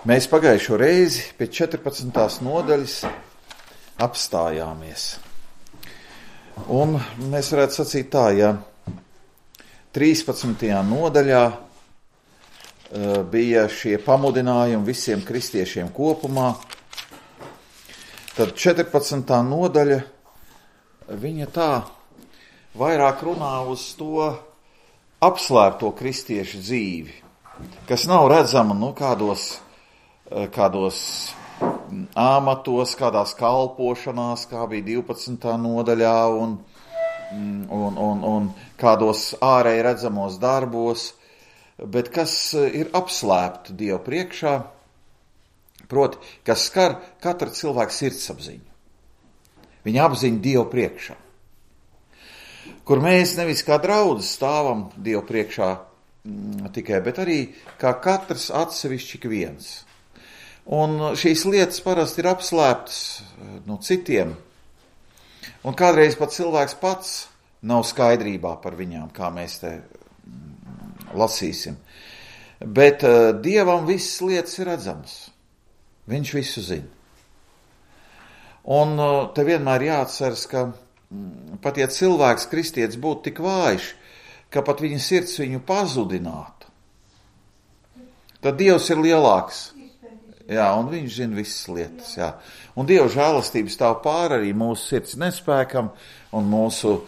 Mēs pagājušo reizi pie 14. nodaļas apstājāmies. Un mēs varētu sacīt tā, ja 13. nodaļā bija šie pamudinājumi visiem kristiešiem kopumā, tad 14. nodaļa, viņa tā vairāk runā uz to apslēpto kristiešu dzīvi, kas nav redzama kādos āmatos, kādās kalpošanās, kā bija 12. nodaļā, un kādos ārēji redzamos darbos, bet kas ir apslēpti Dievu priekšā, proti, kas skar katra cilvēka sirdsapziņu. Viņa apziņa Dievu priekšā, kur mēs nevis kā draudzes stāvam Dievu priekšā tikai, bet arī kā katrs atsevišķi ik viens. Un šīs lietas parasti ir apslēptas no citiem, un kādreiz pat cilvēks pats nav skaidrībā par viņām, kā mēs te lasīsim. Bet Dievam visas lietas ir redzamas. Viņš visu zina. Un te vienmēr jāatceras, ka pat ja cilvēks, kristietis, būtu tik vājš, ka pat viņa sirds viņu pazudinātu, tad Dievs ir lielāks. Jā, un viņš zina visas lietas. Jā. Un Dieva žēlastība stāv pāri arī mūsu sirds nespēkam un mūsu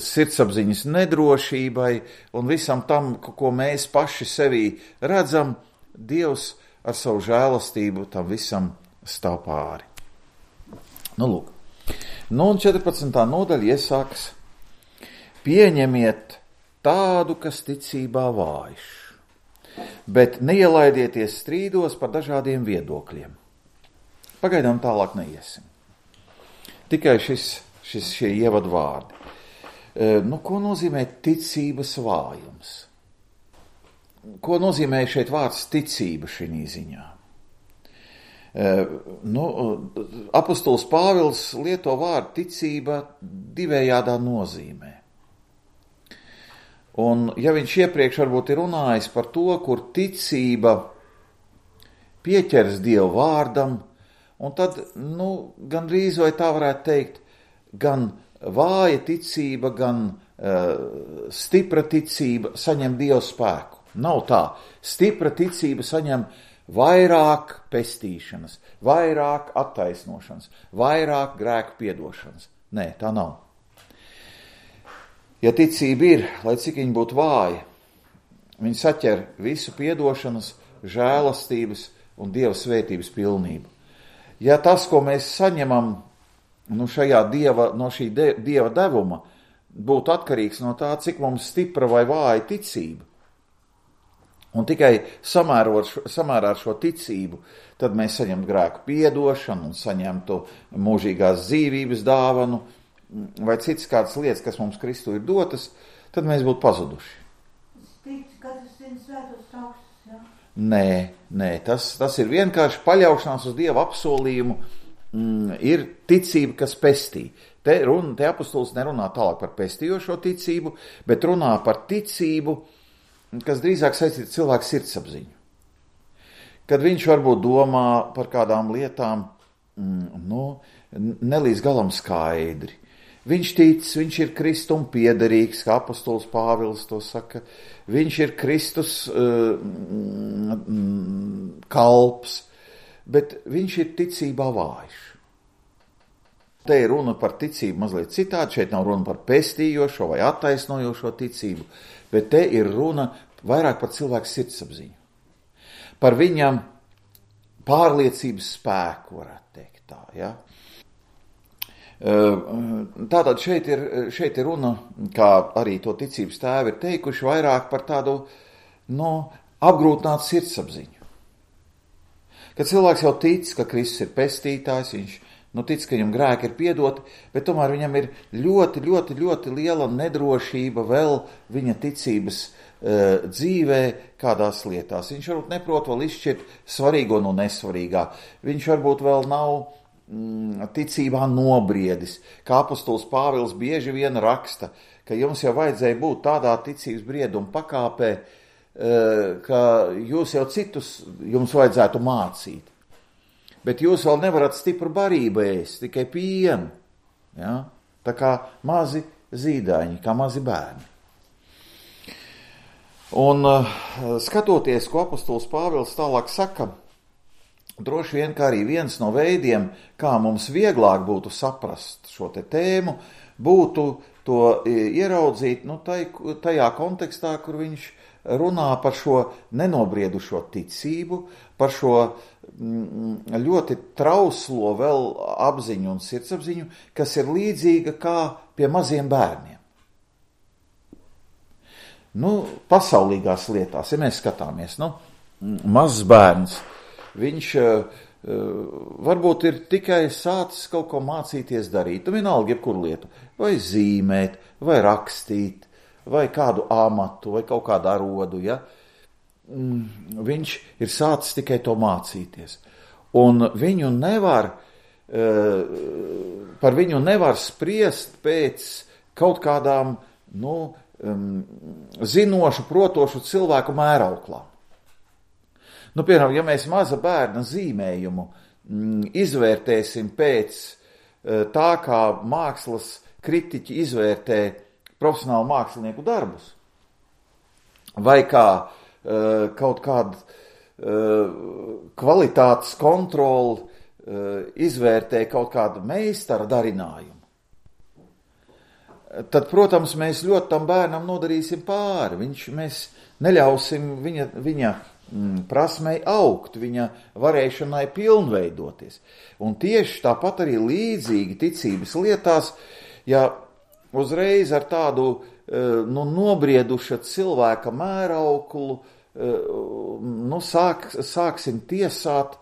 sirdsapziņas nedrošībai un visam tam, ko mēs paši sevī redzam, Dievs ar savu žēlastību tam visam stāv pāri. Lūk. Un 14. nodaļa iesākas: pieņemiet tādu, kas ticībā vājš, bet neielaidieties strīdos par dažādiem viedokļiem. Pagaidām tālāk neiesim. Tikai šie ievadu vārdi. Ko nozīmē ticības vājums? Ko nozīmē šeit vārds ticība šī ziņā? Apostols Pāvils lieto vārdu ticība divējādā nozīmē. Un ja viņš iepriekš varbūt ir runājis par to, kur ticība pieķers Dievu vārdam, un tad, gandrīz vai tā varētu teikt, gan vāja ticība, gan stipra ticība saņem Dievu spēku. Nav tā. Stipra ticība saņem vairāk pestīšanas, vairāk attaisnošanas, vairāk grēku piedošanas. Nē, tā nav. Ja ticība ir, lai cik viņa būtu vāja, viņa saķer visu piedošanas, žēlastības un Dieva svētības pilnību. Ja tas, ko mēs saņemam no šī Dieva devuma, būtu atkarīgs no tā, cik mums stipra vai vāja ticība, un tikai samērā ar šo ticību, tad mēs saņemtu grēku piedošanu un saņemtu mūžīgās dzīvības dāvanu, vai citas kādas lietas, kas mums Kristu ir dotas, tad mēs būtu pazuduši. Nē, tas ir vienkārši paļaušanās uz Dieva apsolījumu, ir ticība, kas pestī. Te apostols nerunā tālāk par pestījošo ticību, bet runā par ticību, kas drīzāk saistīta cilvēku sirdsapziņu. Kad viņš varbūt domā par kādām lietām, nelīdz galam skaidri. Viņš tic, viņš ir Kristum piederīgs, kā apostols Pāvils to saka. Viņš ir Kristus kalps, bet viņš ir ticībā vājš. Te ir runa par ticību mazliet citādi, šeit nav runa par pestījošo vai attaisnojošo ticību, bet te ir runa vairāk par cilvēku sirdsapziņu. Par viņam pārliecības spēku, varētu teikt tā, ja? Tātad šeit ir runa, kā arī to ticības tēvi ir teikuši, vairāk par tādu apgrūtinātu sirdsapziņu. Kad cilvēks jau tic, ka Kristus ir pestītājs, viņš tic, ka viņam grēki ir piedoti, bet tomēr viņam ir ļoti, ļoti, ļoti liela nedrošība vēl viņa ticības dzīvē kādās lietās. Viņš varbūt neprot vēl izšķirt svarīgo no nesvarīgā. Viņš varbūt vēl nav ticībā nobriedis, kā apostols Pāvils bieži vien raksta, ka jums jau vajadzēja būt tādā ticības brieduma pakāpē, ka jūs jau citus jums vajadzētu mācīt, bet jūs vēl nevarat stipru barību ēst, tikai pienu, ja? Tā kā mazi zīdaiņi, kā mazi bērni. Un skatoties, ko apostols Pāvils tālāk saka, droši vien, kā arī viens no veidiem, kā mums vieglāk būtu saprast šo te tēmu, būtu to ieraudzīt tajā kontekstā, kur viņš runā par šo nenobriedušo ticību, par šo ļoti trauslo vēl apziņu un sirdsapziņu, kas ir līdzīga kā pie maziem bērniem. Pasaulīgās lietās, ja mēs skatāmies, mazs bērns, viņš varbūt ir tikai sācis kaut ko mācīties darīt, vienalga jebkuru lietu, vai zīmēt, vai rakstīt, vai kādu amatu, vai kaut kādu arodu, ja? Viņš ir sācis tikai to mācīties. Un par viņu nevar spriest pēc kaut kādām, zinošu, protošu cilvēku mērauklām. Piemēram, ja mēs maza bērna zīmējumu izvērtēsim pēc tā, kā mākslas kritiķi izvērtē profesionālu mākslinieku darbus, vai kā kaut kādu kvalitātes kontroli izvērtē kaut kādu meistara darinājumu, tad, protams, mēs ļoti tam bērnam nodarīsim pāri. Mēs neļausim viņa prasmei augt, viņa varēšanai pilnveidoties. Un tieši tāpat arī līdzīgi ticības lietās, ja uzreiz ar tādu nobrieduša cilvēka mērauklu sāksim tiesāt,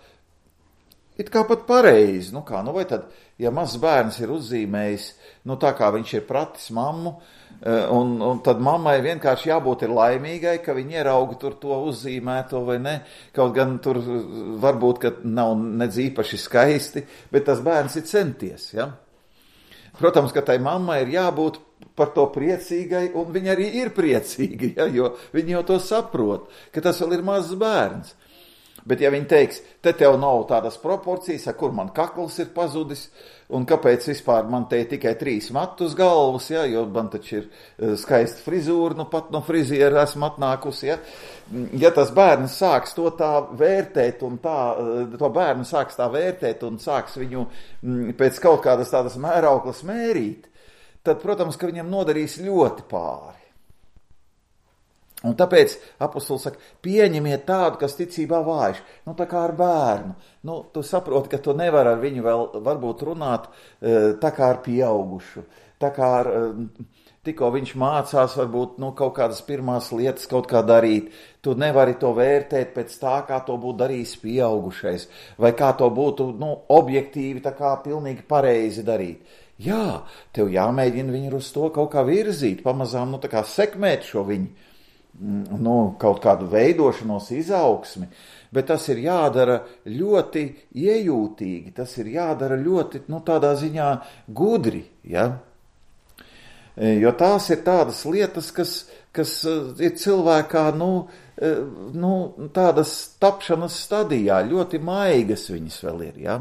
it kā pat pareizi. Vai tad, ja mazs bērns ir uzzīmējis, tā kā viņš ir pratis mammu, un tad mammai vienkārši jābūt ir laimīgai, ka viņi ierauga tur to uzzīmēto vai ne, kaut gan tur varbūt, ka nav nedz īpaši skaisti, bet tas bērns ir centies, ja? Protams, ka tai mammai ir jābūt par to priecīgai, un viņa arī ir priecīga, ja? Jo viņa jau to saprot, ka tas vēl ir mazs bērns. Bet ja viņi teiks, te tev nav tādas proporcijas, kur man kakls ir pazudis, un kāpēc vispār man te ir tikai 3 matu uz galvas, ja? Jo man taču ir skaista frizūra, pat no friziera esmu atnākusi, ja? Ja tas bērns sāks to tā vērtēt, un to bērnu sāks tā vērtēt, un sāks viņu pēc kaut kādas tādas mērauklas mērīt, tad, protams, ka viņam nodarīs ļoti pāri. Un tāpēc apostols saka, pieņemiet tādu, kas ticībā vājš, tā kā ar bērnu. Tu saproti, ka tu nevar ar viņu vēl varbūt runāt tā kā ar pieaugušu, tā kā ar, tikko viņš mācās varbūt kaut kādas pirmās lietas kaut kā darīt. Tu nevari to vērtēt pēc tā, kā to būtu darījis pieaugušais, vai kā to būtu objektīvi, tā kā pilnīgi pareizi darīt. Jā, tev jāmēģina viņu uz to kaut kā virzīt, pamazām, tā kā sekmēt šo viņu. Kaut kādu veidošanos, izaugsmi, bet tas ir jādara ļoti iejūtīgi, tas ir jādara ļoti, tādā ziņā gudri, ja? Jo tās ir tādas lietas, kas ir cilvēkā, tādas tapšanas stadijā, ļoti maigas viņas vēl ir, ja?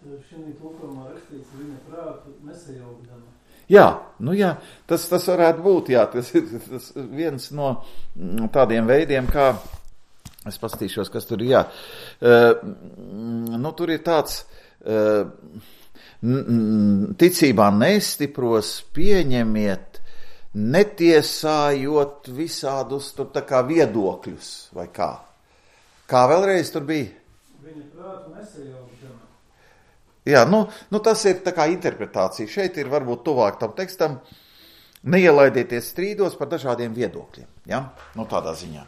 Šī tulkumā rakstīts viņa prātu nesajaukdama. Jā, tas varētu būt, jā, tas ir viens no tādiem veidiem, kā, es pastīšos, kas tur ir, jā, tur ir tāds, ticībā nestipros, pieņemiet, netiesājot visādus tur tā kā viedokļus, vai kā? Kā vēlreiz tur bija? Viņa prātu nesajaukdama. Jā, tas ir tā kā interpretācija. Šeit ir varbūt tuvāk tam tekstam. Neielaidieties strīdos par dažādiem viedokļiem. Ja? Tādā ziņā.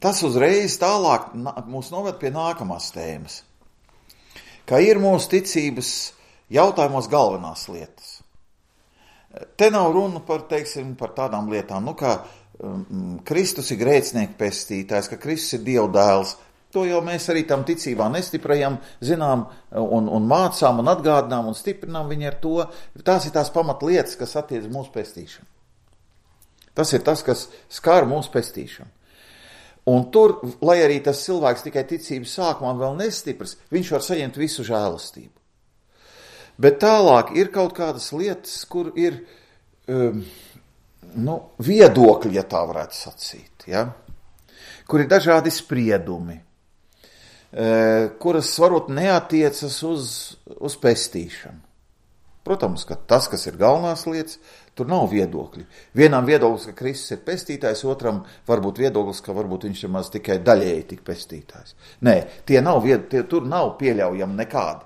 Tas uzreiz tālāk mūs noved pie nākamās tēmas. Kā ir mūsu ticības jautājumos galvenās lietas. Te nav runa par tādām lietām, kā Kristus ir grēcinieku pestītājs, ka Kristus ir Dieva dēls. To jau mēs arī tam ticībā nestiprajam, zinām un mācām un atgādinām un stiprinām viņu ar to. Tās ir tās pamatlietas, kas attiec mūsu pestīšanu. Tas ir tas, kas skar mūsu pestīšanu. Un tur, lai arī tas cilvēks tikai ticības sākumā vēl nestiprs, viņš var saņemt visu žēlastību. Bet tālāk ir kaut kādas lietas, kur ir viedokļi, ja tā varētu sacīt, ja? Kur ir dažādi spriedumi, kuras varbūt neatiecas uz pestīšanu. Protams, ka tas, kas ir galvenās lietas, tur nav viedokļi. Vienam viedoklis, ka Kristus ir pestītājs, otram varbūt viedoklis, ka varbūt viņš ir maz tikai daļēji tik pestītājs. Nē, tur nav pieļaujami nekādi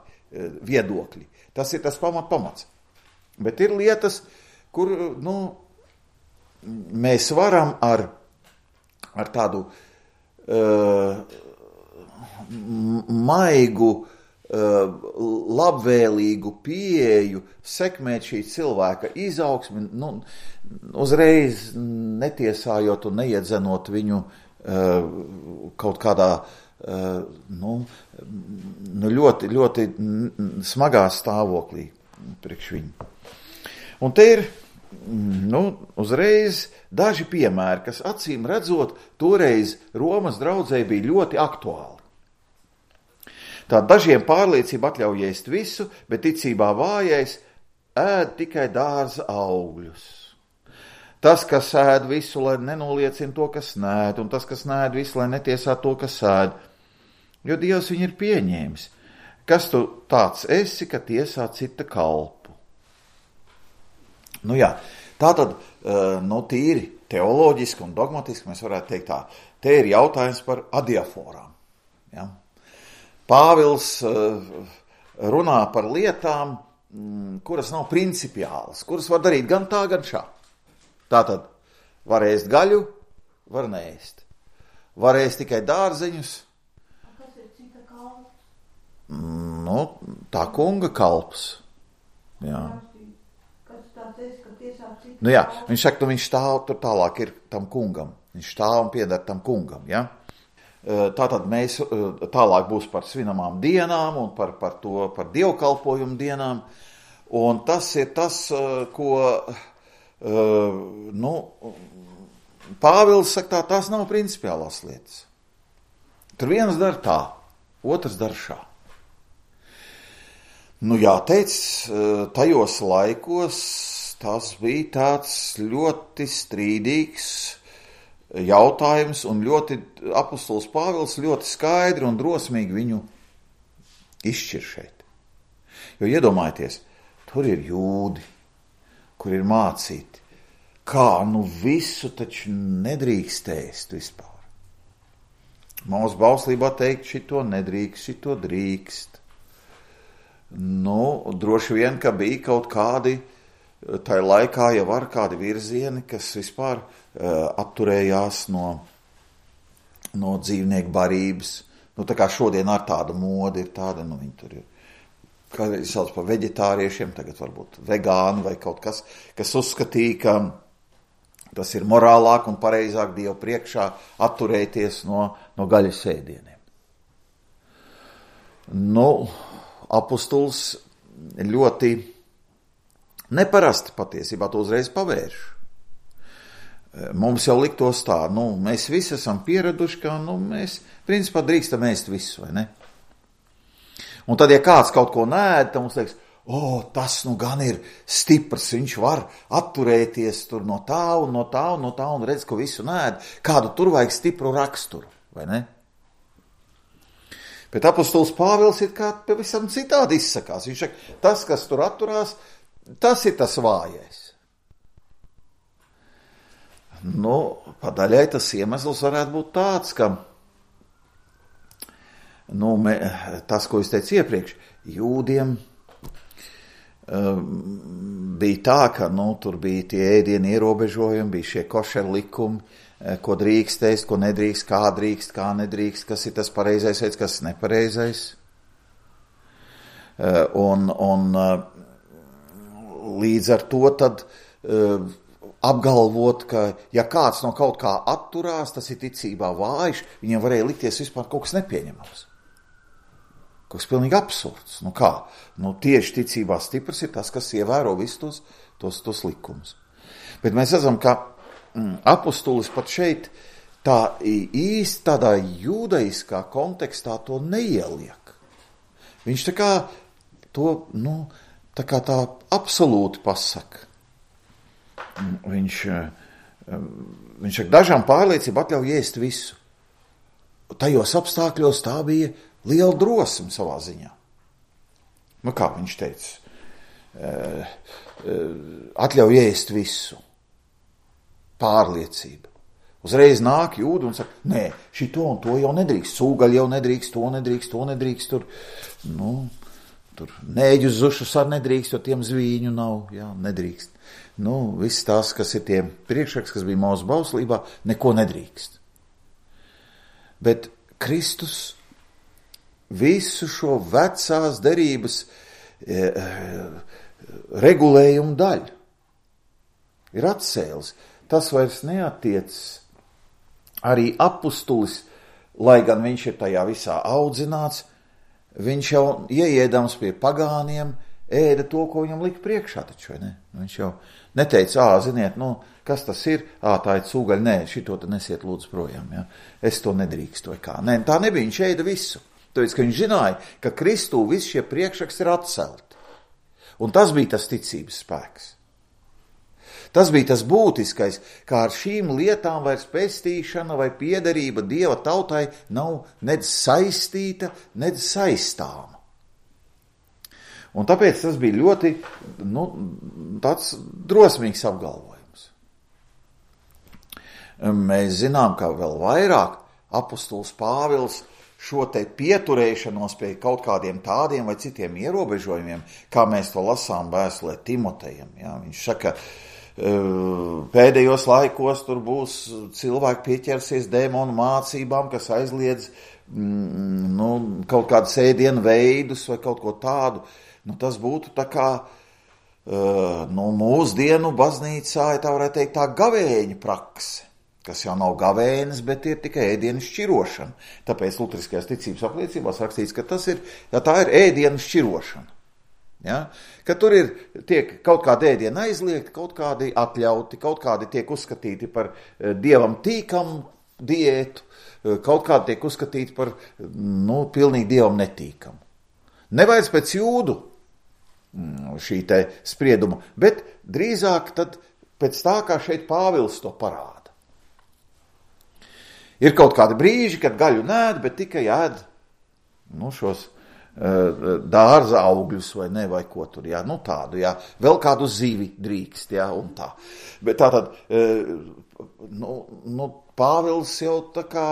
viedokļi. Tas ir tas pamats. Bet ir lietas, kur, mēs varam ar tādu maigu, labvēlīgu pieeju sekmēt šī cilvēka izaugsmi, uzreiz netiesājot un neiedzenot viņu kaut kādā ļoti, ļoti smagā stāvoklī priekš viņu. Un te ir uzreiz daži piemēri, kas acīm redzot toreiz Romas draudzei bija ļoti aktuāli. Tā dažiem pārliecība atļauj ēst visu, bet ticībā vājais ēd tikai dārza augļus. Tas, kas ēd visu, lai nenoliecina to, kas nēd, un tas, kas nēd visu, lai netiesā to, kas ēd. Jo Dievs viņu ir pieņēmis. Kas tu tāds esi, ka tiesā cita kalpu? Tātad, tīri teoloģiski un dogmatiski mēs varētu teikt tā. Te ir jautājums par adiaforām. Ja? Pāvils runā par lietām, kuras nav principiālas, kuras var darīt gan tā, gan šā. Tātad, var ēst gaļu, var neēst. Var ēst tikai dārzeņus. Kas ir cita kalps? Tā kunga kalps. Jā. Kas tāds esi, ka tiesā cita kalps? Viņš saka, viņš stāv, tur tālāk ir tam kungam. Viņš stāv un pieder tam kungam, ja? Tātad mēs tālāk būs par svinamām dienām un par dievkalpojumu dienām. Un tas ir tas, ko Pāvils saka, tās nav principiālās lietas. Tur viens dara tā, otrs dara šā. Jāteic, tajos laikos tas bija tāds ļoti strīdīgs jautājums, un apostols Pāvils ļoti skaidri un drosmīgi viņu izšķir šeit. Jo iedomājieties, tur ir jūdi, kur ir mācīti, kā visu taču nedrīkst ēst vispār. Mūsu bauslībā teikt, šito nedrīkst, šito drīkst. Droši vien, ka bija kaut kādi, tai laikā jau var kādi virzieni, kas vispār atturējās no dzīvnieku barības. Tā kā šodien ar tādu modi ir tāda, viņi tur ir, kādreiz sauc par veģetāriešiem, tagad varbūt vegāni vai kaut kas, kas uzskatīja, ka tas ir morālāk un pareizāk Dievu priekšā atturēties no gaļas ēdieniem. Apostols ļoti neparasti patiesībā to uzreiz pavērš. Mums jau liktos tā, mēs visi esam pieraduši, ka mēs principā drīkstam ēst visu, vai ne? Un tad, ja kāds kaut ko nēd, tad mums liekas, tas gan ir stiprs, viņš var atturēties tur no tā un redz, ka visu nēd, kādu tur vajag stipru raksturu, vai ne? Bet apostols Pāvils ir kā pavisam citādi izsakās. Viņš saka, tas, kas tur atturās, tas ir tas vājais. Padaļai tas iemesls varētu būt tāds, ka tas, ko es teicu iepriekš, jūdiem bija tā, ka tur bija tie ēdienu ierobežojumi, bija šie košer likumi, ko drīkst ēst, ko nedrīkst, kā nedrīkst, kas ir tas pareizais veids, kas ir nepareizais. Un līdz ar to tad apgalvot, ka ja kāds no kaut kā atturās, tas ir ticībā vājš, viņam varēja likties vispār kaut kas nepieņemams. Kaut kas pilnīgi absurds. Kā? Tieši ticībā stiprs ir tas, kas ievēro visus tos likumus. Bet mēs redzam, ka apustulis pat šeit tā īsti tādā jūdaiskā kontekstā to neieliek. Viņš tā kā to, tā absolūti pasaka. Viņš ar dažām pārliecību atļauj ēst visu. Tajos apstākļos tā bija liela drosme savā ziņā. Kā viņš teica? Atļauj ēst visu. Pārliecība. Uzreiz nāk Jūda un saka, nē, šito un to jau nedrīkst, sūgaļi jau nedrīkst, to nedrīkst, tur nēģus zušus ar nedrīkst, jo tiem zvīņu nav, jā, nedrīkst. Viss tās, kas ir tiem priekšraks, kas bija mūsu bauslībā, neko nedrīkst. Bet Kristus visu šo vecās derības regulējumu daļu ir atcēlis. Tas vairs neatiecas. Arī apustulis, lai gan viņš ir tajā visā audzināts, viņš jau ieēdams pie pagāniem ēda to, ko viņam lika priekšā taču, vai ne? Viņš jau neteica, ziniet, kas tas ir? Tā ir cūgaļa, nē, šito te nesiet lūdzu projām, ja? Es to nedrīkstu, vai kā? Nē, tā nebija, viņš ēda visu. Tāpēc, ka viņš zināja, ka Kristū visi šie priekšraks ir atcelti. Un tas bija tas ticības spēks. Tas bija tas būtiskais, kā ar šīm lietām vairs pestīšana vai piederība Dieva tautai nav nedz saistīta, nedz saistāma. Un tāpēc tas bija ļoti, tāds drosmīgs apgalvojums. Mēs zinām, ka vēl vairāk apustulis Pāvils šo te pieturēšanos pie kaut kādiem tādiem vai citiem ierobežojumiem, kā mēs to lasām vēstulē Timotejam. Ja? Viņš saka, pēdējos laikos tur būs cilvēki pieķersies dēmonu mācībām, kas aizliedz kaut kādas ēdienu veidus vai kaut ko tādu. Tas būtu tā kā mūsdienu baznīcā, tā varētu teikt, tā gavēņa prakse, kas jau nav gavēnis, bet ir tikai ēdienu šķirošana. Tāpēc luteriskajās ticības apliecībās rakstīts, ka tā ir ēdienu šķirošana. Ja? Ka tur tiek kaut kādi ēdieni aizliegti, kaut kādi atļauti, kaut kādi tiek uzskatīti par Dievam tīkamu diētu, kaut kādi tiek uzskatīti par pilnīgi Dievam netīkamu. Nevairs pēc Jūdu šī te sprieduma, bet drīzāk tad pēc tā, kā šeit Pāvils to parāda. Ir kaut kādi brīži, kad gaļu nēd, bet tikai ēd šos dārza augļus vai ne, vai ko tur, jā, tādu, jā, vēl kādu zivi drīkst, jā, un tā. Bet tātad, Pāvils jau tā kā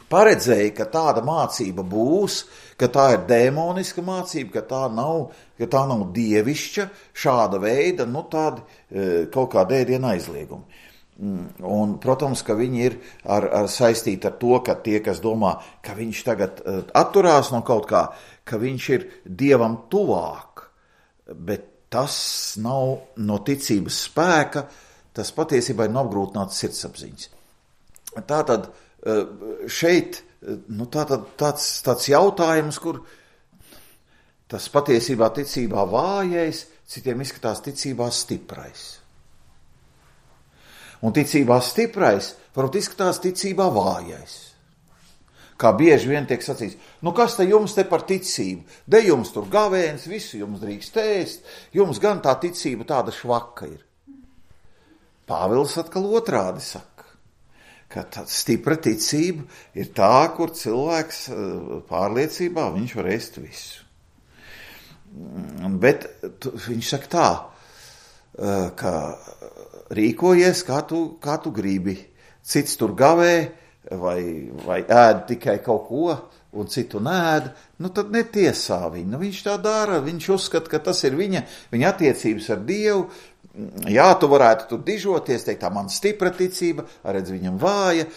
paredzēja, ka tāda mācība būs, ka tā ir dēmoniska mācība, ka tā nav dievišķa, šāda veida, tādi kaut kādi ēdienu aizliegumi. Un, protams, ka viņi ir saistīti ar to, ka tie, kas domā, ka viņš tagad atturās no kaut kā, ka viņš ir Dievam tuvāk, bet tas nav no ticības spēka, tas patiesībā ir no apgrūtinātas sirdsapziņas. Tātad šeit tāds jautājums, kur tas patiesībā ticībā vājais, citiem izskatās ticībā stiprais. Un ticībā stiprais varbūt izskatās ticībā vājais. Kā bieži vien tiek sacīts, kas te jums te par ticību? De jums tur gavēns, visu jums drīkst ēst, jums gan tā ticība tāda švaka ir. Pāvils atkal otrādi saka, ka tā stipra ticība ir tā, kur cilvēks pārliecībā viņš var ēst visu. Bet viņš saka tā, ka rīkojies, kā tu gribi. Cits tur gavē vai ēd tikai kaut ko, un citu nēd, tad netiesā viņu. Viņš tā dara, viņš uzskata, ka tas ir viņa attiecības ar Dievu. Jā, tu varētu tur dižoties, teikt, tā man stipra ticība, redz viņam vāja.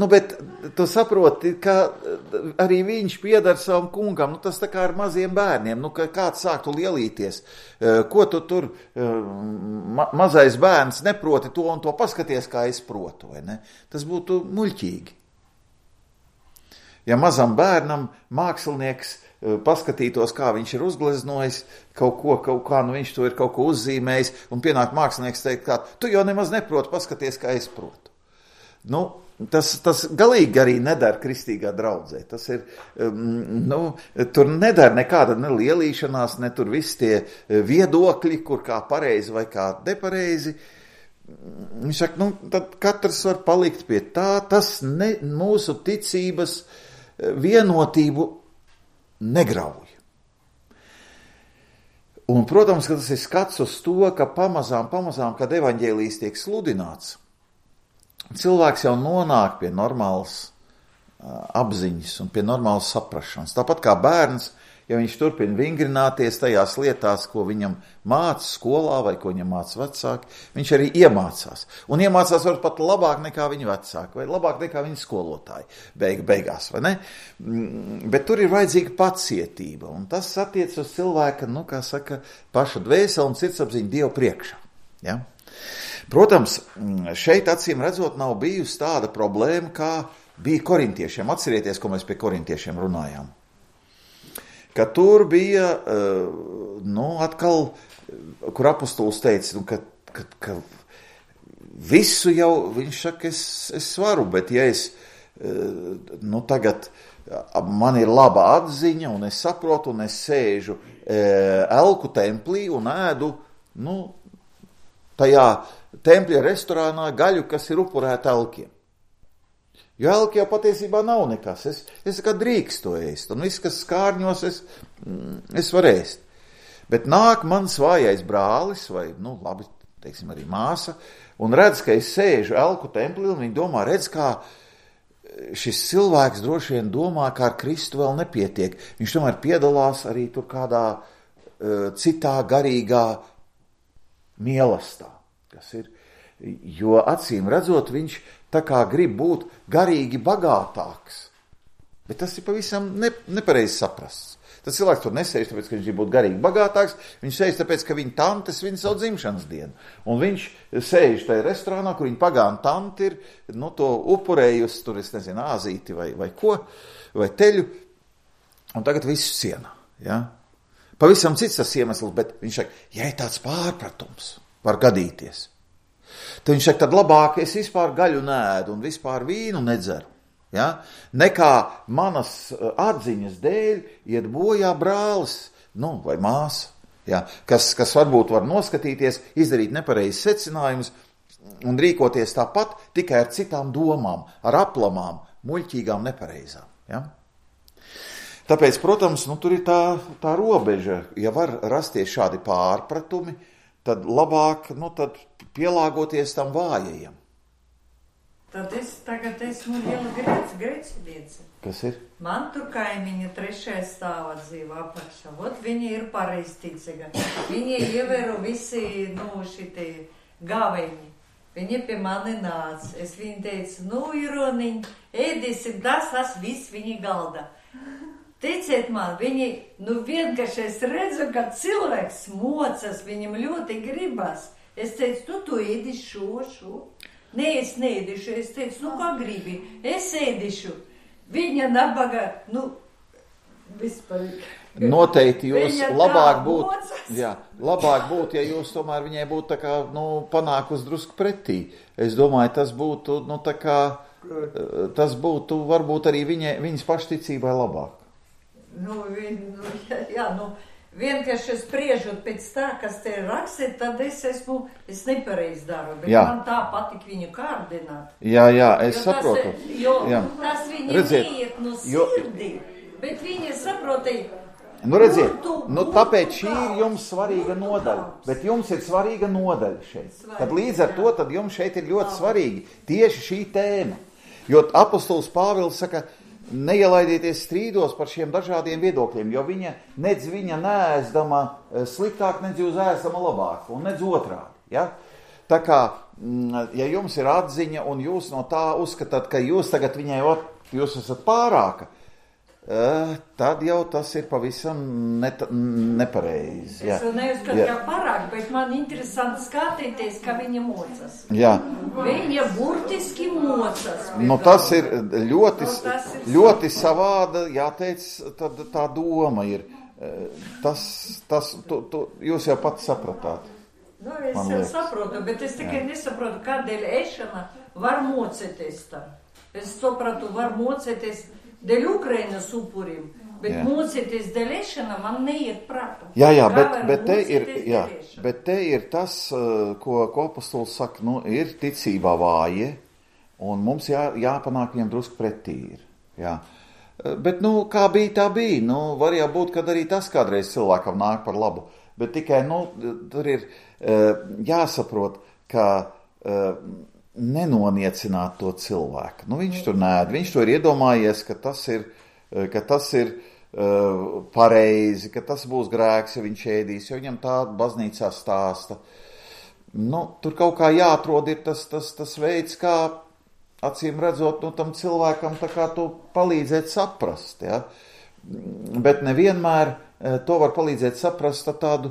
Bet tu saproti, ka arī viņš piedar savam kungam, tas tā kā ar maziem bērniem, ka kāds sāktu lielīties, ko tu tur, mazais bērns neproti to un to, paskaties, kā es protu, vai ne? Tas būtu muļķīgi. Ja mazam bērnam mākslinieks paskatītos, kā viņš ir uzgleznojis kaut kā, nu viņš to ir kaut ko uzzīmējis, un pienāk mākslinieks teikt, kā, tu jau nemaz neproti, paskaties, kā es protu. Nu, tas galīgi arī nedara kristīgā draudzē. Tas ir, tur nedara nekāda ne lielīšanās, ne tur visi tie viedokļi, kur kā pareizi vai kā nepareizi. Viņš saka, tad katrs var palikt pie tā, tas mūsu ticības vienotību negrauj. Un, protams, ka tas ir skats uz to, ka pamazām, kad evaņģēlijs tiek sludināts, cilvēks jau nonāk pie normālas apziņas un pie normālas saprašanas. Tāpat kā bērns, ja viņš turpina vingrināties tajās lietās, ko viņam māca skolā vai ko viņam māca vecāki, viņš arī iemācās. Un iemācās var pat labāk nekā viņa vecāki vai labāk nekā viņa skolotāji beigās, vai ne? Bet tur ir vajadzīga pacietība, un tas attiec uz cilvēka, kā saka, paša dvēseli un sirdsapziņu Dievu priekšā. Ja? Protams, šeit acīm redzot nav bijusi tāda problēma, kā bija korintiešiem. Atcerieties, ko mēs pie korintiešiem runājām. Ka tur bija, atkal, kur apostols teica, ka visu jau, viņš saka, es varu, bet ja es, tagad man ir laba atziņa, un es saprotu, un es sēžu elku templī un ēdu, tajā tempļa restorānā gaļu, kas ir upurēta elkiem. Jo elki jau patiesībā nav nekas. Es kā drīkst to ēst. Un viss, kas skārņos, es varu ēst. Bet nāk mans vājais brālis, vai, labi, teiksim, arī māsa, un redz, ka es sēžu elku templī, un viņi domā, redz, kā šis cilvēks droši vien domā, ka ar Kristu vēl nepietiek. Viņš tomēr piedalās arī tur kādā citā garīgā mielastā, kas ir, jo acīm redzot, viņš tā kā grib būt garīgi bagātāks. Bet tas ir pavisam nepareizi saprasts. Tas cilvēks tur nesēž, tāpēc, ka viņš grib būt garīgi bagātāks, viņš sēž tāpēc, ka viņa tante svin savu dzimšanas dienu. Un viņš sēž tajā restorānā, kur viņa pagāna tante ir, to upurējusi, tur es nezinu, āzīti vai ko, vai teļu, un tagad visu cienā. Ja? Pavisam cits tas iemesls, bet viņš saka, ja ir tāds pārpratums, var gadīties. Tad viņš saka, tad labāk es vispār gaļu nēdu un vispār vīnu nedzeru. Ja? Nekā manas atziņas dēļ iet bojā brālis, vai māsa, ja? kas varbūt var noskatīties, izdarīt nepareizes secinājumus un rīkoties tāpat tikai ar citām domām, ar aplamām, muļķīgām, nepareizām. Ja? Tāpēc, protams, tur ir tā robeža, ja var rasties šādi pārpratumi, tad labāk, tad pielāgoties tam vājajam. Tad es tagad esmu liela grēciniece. Kas ir? Man tur kaimiņa 3. stāvā dzīvo apakšā. Viņi ir pareizticīgi. Viņi ievēro visi, šitie gaveņi. Viņi pie mani nāca. Es viņu teicu, Ironiņ, ēdīsim, tas viss viņi galda. Ticiet man, viņi, vienkārši es redzu, ka cilvēks mocas, viņam ļoti gribas. Es teicu, tu ēdīši šo. Nē, es neēdīšu. Es teicu, kā gribi, es ēdīšu. Viņa nabaga, vispār. Noteikti jūs labāk būtu, ja jūs tomēr viņai būtu tā kā, panākus drusku pretī. Es domāju, tas būtu, tas būtu varbūt arī viņas pašticībai labāk. Vienkārši spriežot pēc tā, kas te ir rakstīt, tad es nepareiz daru, bet man tā patīk viņu kārdināt. Jā, es saprotu. Tas viņa neiet no sirdī, bet viņa saprotīja. Redziet, tāpēc šī ir jums svarīga nodaļa, bet jums ir svarīga nodaļa šeit. Tad līdz ar to, tad jums šeit ir ļoti svarīgi tieši šī tēma. Jo apostols Pāvils saka, neielaidieties strīdos par šiem dažādiem viedokļiem, jo viņa neēsdama sliktāk, nedz jūs ēsdama labāk, un nedz otrādi. Ja? Tā kā, ja jums ir atziņa, un jūs no tā uzskatāt, ka jūs tagad jūs esat pārāka, tad jau tas ir pavisam nepareizi. Es vēl neuzskatu kā parāk, bet man interesanti skatīties, kā viņa mocas. Jā. Viņa burtiski mocas. Tas ir ļoti savāda, jāteic, tad tā doma ir. Jūs jau pats sapratāt. Es jau saprotu, bet es tikai nesaprotu, kādēļ ēšana var mocēties tā. Es sapratu, var mocēties dēļ Ukrainas upurim, bet mocēties dēļ ēšana man neiet prātā. Bet te ir tas, ko apostols saka, ir ticībā vāji, un mums jāpanāk viņam drusku pretī ir. Jā. Bet, kā bija, tā bija. Var jau būt, kad arī tas kādreiz cilvēkam nāk par labu. Bet tikai, tur ir jāsaprot, ka nenoniecināt to cilvēku. Viņš tur nēd, viņš to ir iedomājies, ka tas ir pareizi, ka tas būs grēks, ja viņš ēdīs, jo viņam tā baznīcā stāsta. Tur kaut kā jāatrod ir tas veids, kā acīm redzot, tam cilvēkam tā kā to palīdzēt saprast, ja? Bet nevienmēr to var palīdzēt saprast tādu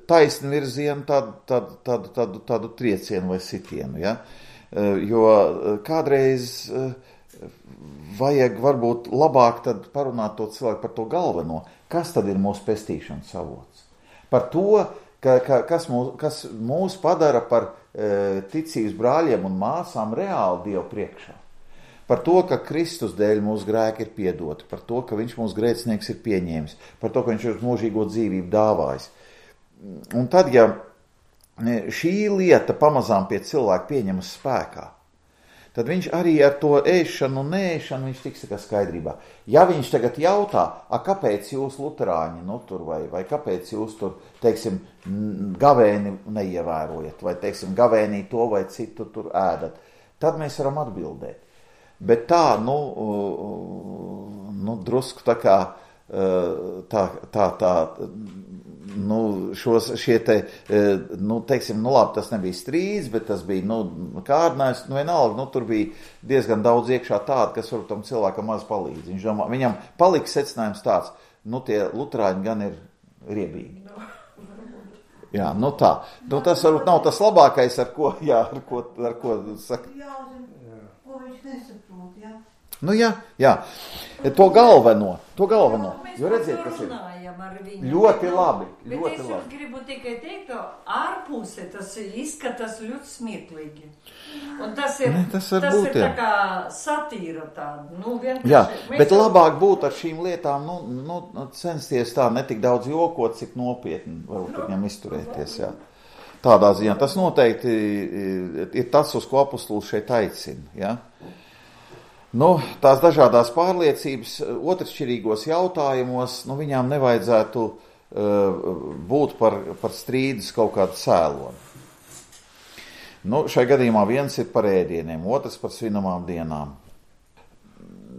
taisnu virzienu, tādu triecienu vai sitienu, ja? Jo kādreiz vajag varbūt labāk tad parunāt to cilvēku par to galveno, kas tad ir mūsu pestīšanas avots. Par to, kas mūs padara par ticības brāļiem un māsām reāli Dievu priekšā. Par to, ka Kristus dēļ mūsu grēki ir piedoti, par to, ka viņš mūsu grēcinieks ir pieņēmis, par to, ka viņš ir mūžīgo dzīvību dāvājis. Un tad, ja šī lieta pamazām pie cilvēka pieņemas spēkā, tad viņš arī ar to ēšanu un neēšanu viņš tiks kā skaidrībā. Ja viņš tagad jautā, kāpēc jūs luterāņi tur vai kāpēc jūs tur, teiksim, gavēni neievērojat, vai, teiksim, gavēnī to vai citu tur ēdat, tad mēs varam atbildēt. Bet tā, drusku tā kā, teiksim, labi, tas nebija strīds, bet tas bija, kārdinājums, vienalga, tur bija diezgan daudz iekšā tāda, kas varbūt tam cilvēkam maz palīdz. Viņš domā, viņam palika secinājums tāds, tie luterāņi gan ir riebīgi. Jā, tā. Tas varbūt nav tas labākais, ar ko saka. Ko viņš nesaprot, jā? Jā. To galveno. Jo redziet, kas ir ļoti labi. Bet es jums gribu tikai teikt, ka ārpusē tas izskatās ļoti smieklīgi. Un tas ir tā kā satīra tāda. Jā, bet labāk būtu ar šīm lietām, censties tā netik daudz jokot, cik nopietni varbūt viņam izturēties, jā. Tādā ziņā. Tas noteikti ir tas, uz ko apostols šeit aicina, jā. Tās dažādās pārliecības otršķirīgos jautājumos, viņām nevajadzētu būt par strīdus kaut kādu cēloni. Šai gadījumā viens ir par ēdieniem, otrs par svinamām dienām.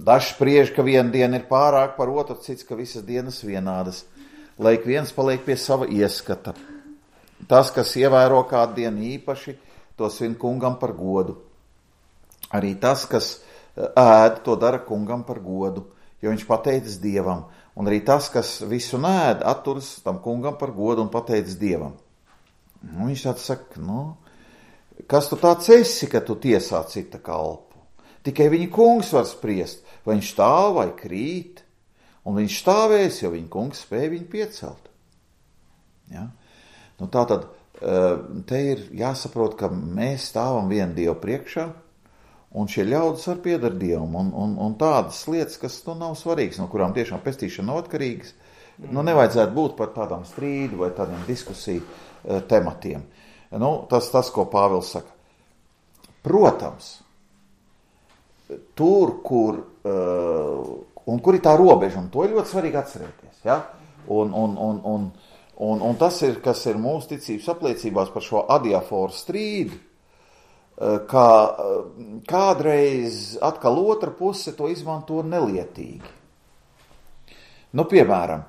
Dažs spriež, ka viena diena ir pārāk par otru, cits, ka visas dienas vienādas, lai ik viens paliek pie sava ieskata. Tas, kas ievēro kādu dienu īpaši, to svin kungam par godu. Arī tas, kas ēd, to dara kungam par godu, jo viņš pateicis Dievam. Un arī tas, kas visu ēd, atturas tam kungam par godu un pateicis Dievam. Viņš tāds saka, kas tu tāds esi, ka tu tiesā cita kalpu? Tikai viņa kungs var spriest, vai viņš stāv vai krīt, un viņš stāvēs, jo viņa kungs spēja viņu piecelt. Ja? Tātad te ir jāsaprot, ka mēs stāvam vienu Dievu priekšā, un šie ļaudis var piedar Dievam, un tādas lietas, kas nav svarīgas, no kurām tiešām pestīšana nav atkarīgas, nevajadzētu būt par tādām strīdu vai tādiem diskusiju tematiem. Tas, ko Pāvils saka. Protams, tur, kur ir tā robeža, un to ir ļoti svarīgi atcerēties, ja? Un tas ir, kas ir mūsu ticības apliecībās par šo adiaforu strīdu, ka kādreiz atkal otra puse to izmanto nelietīgi. Piemēram,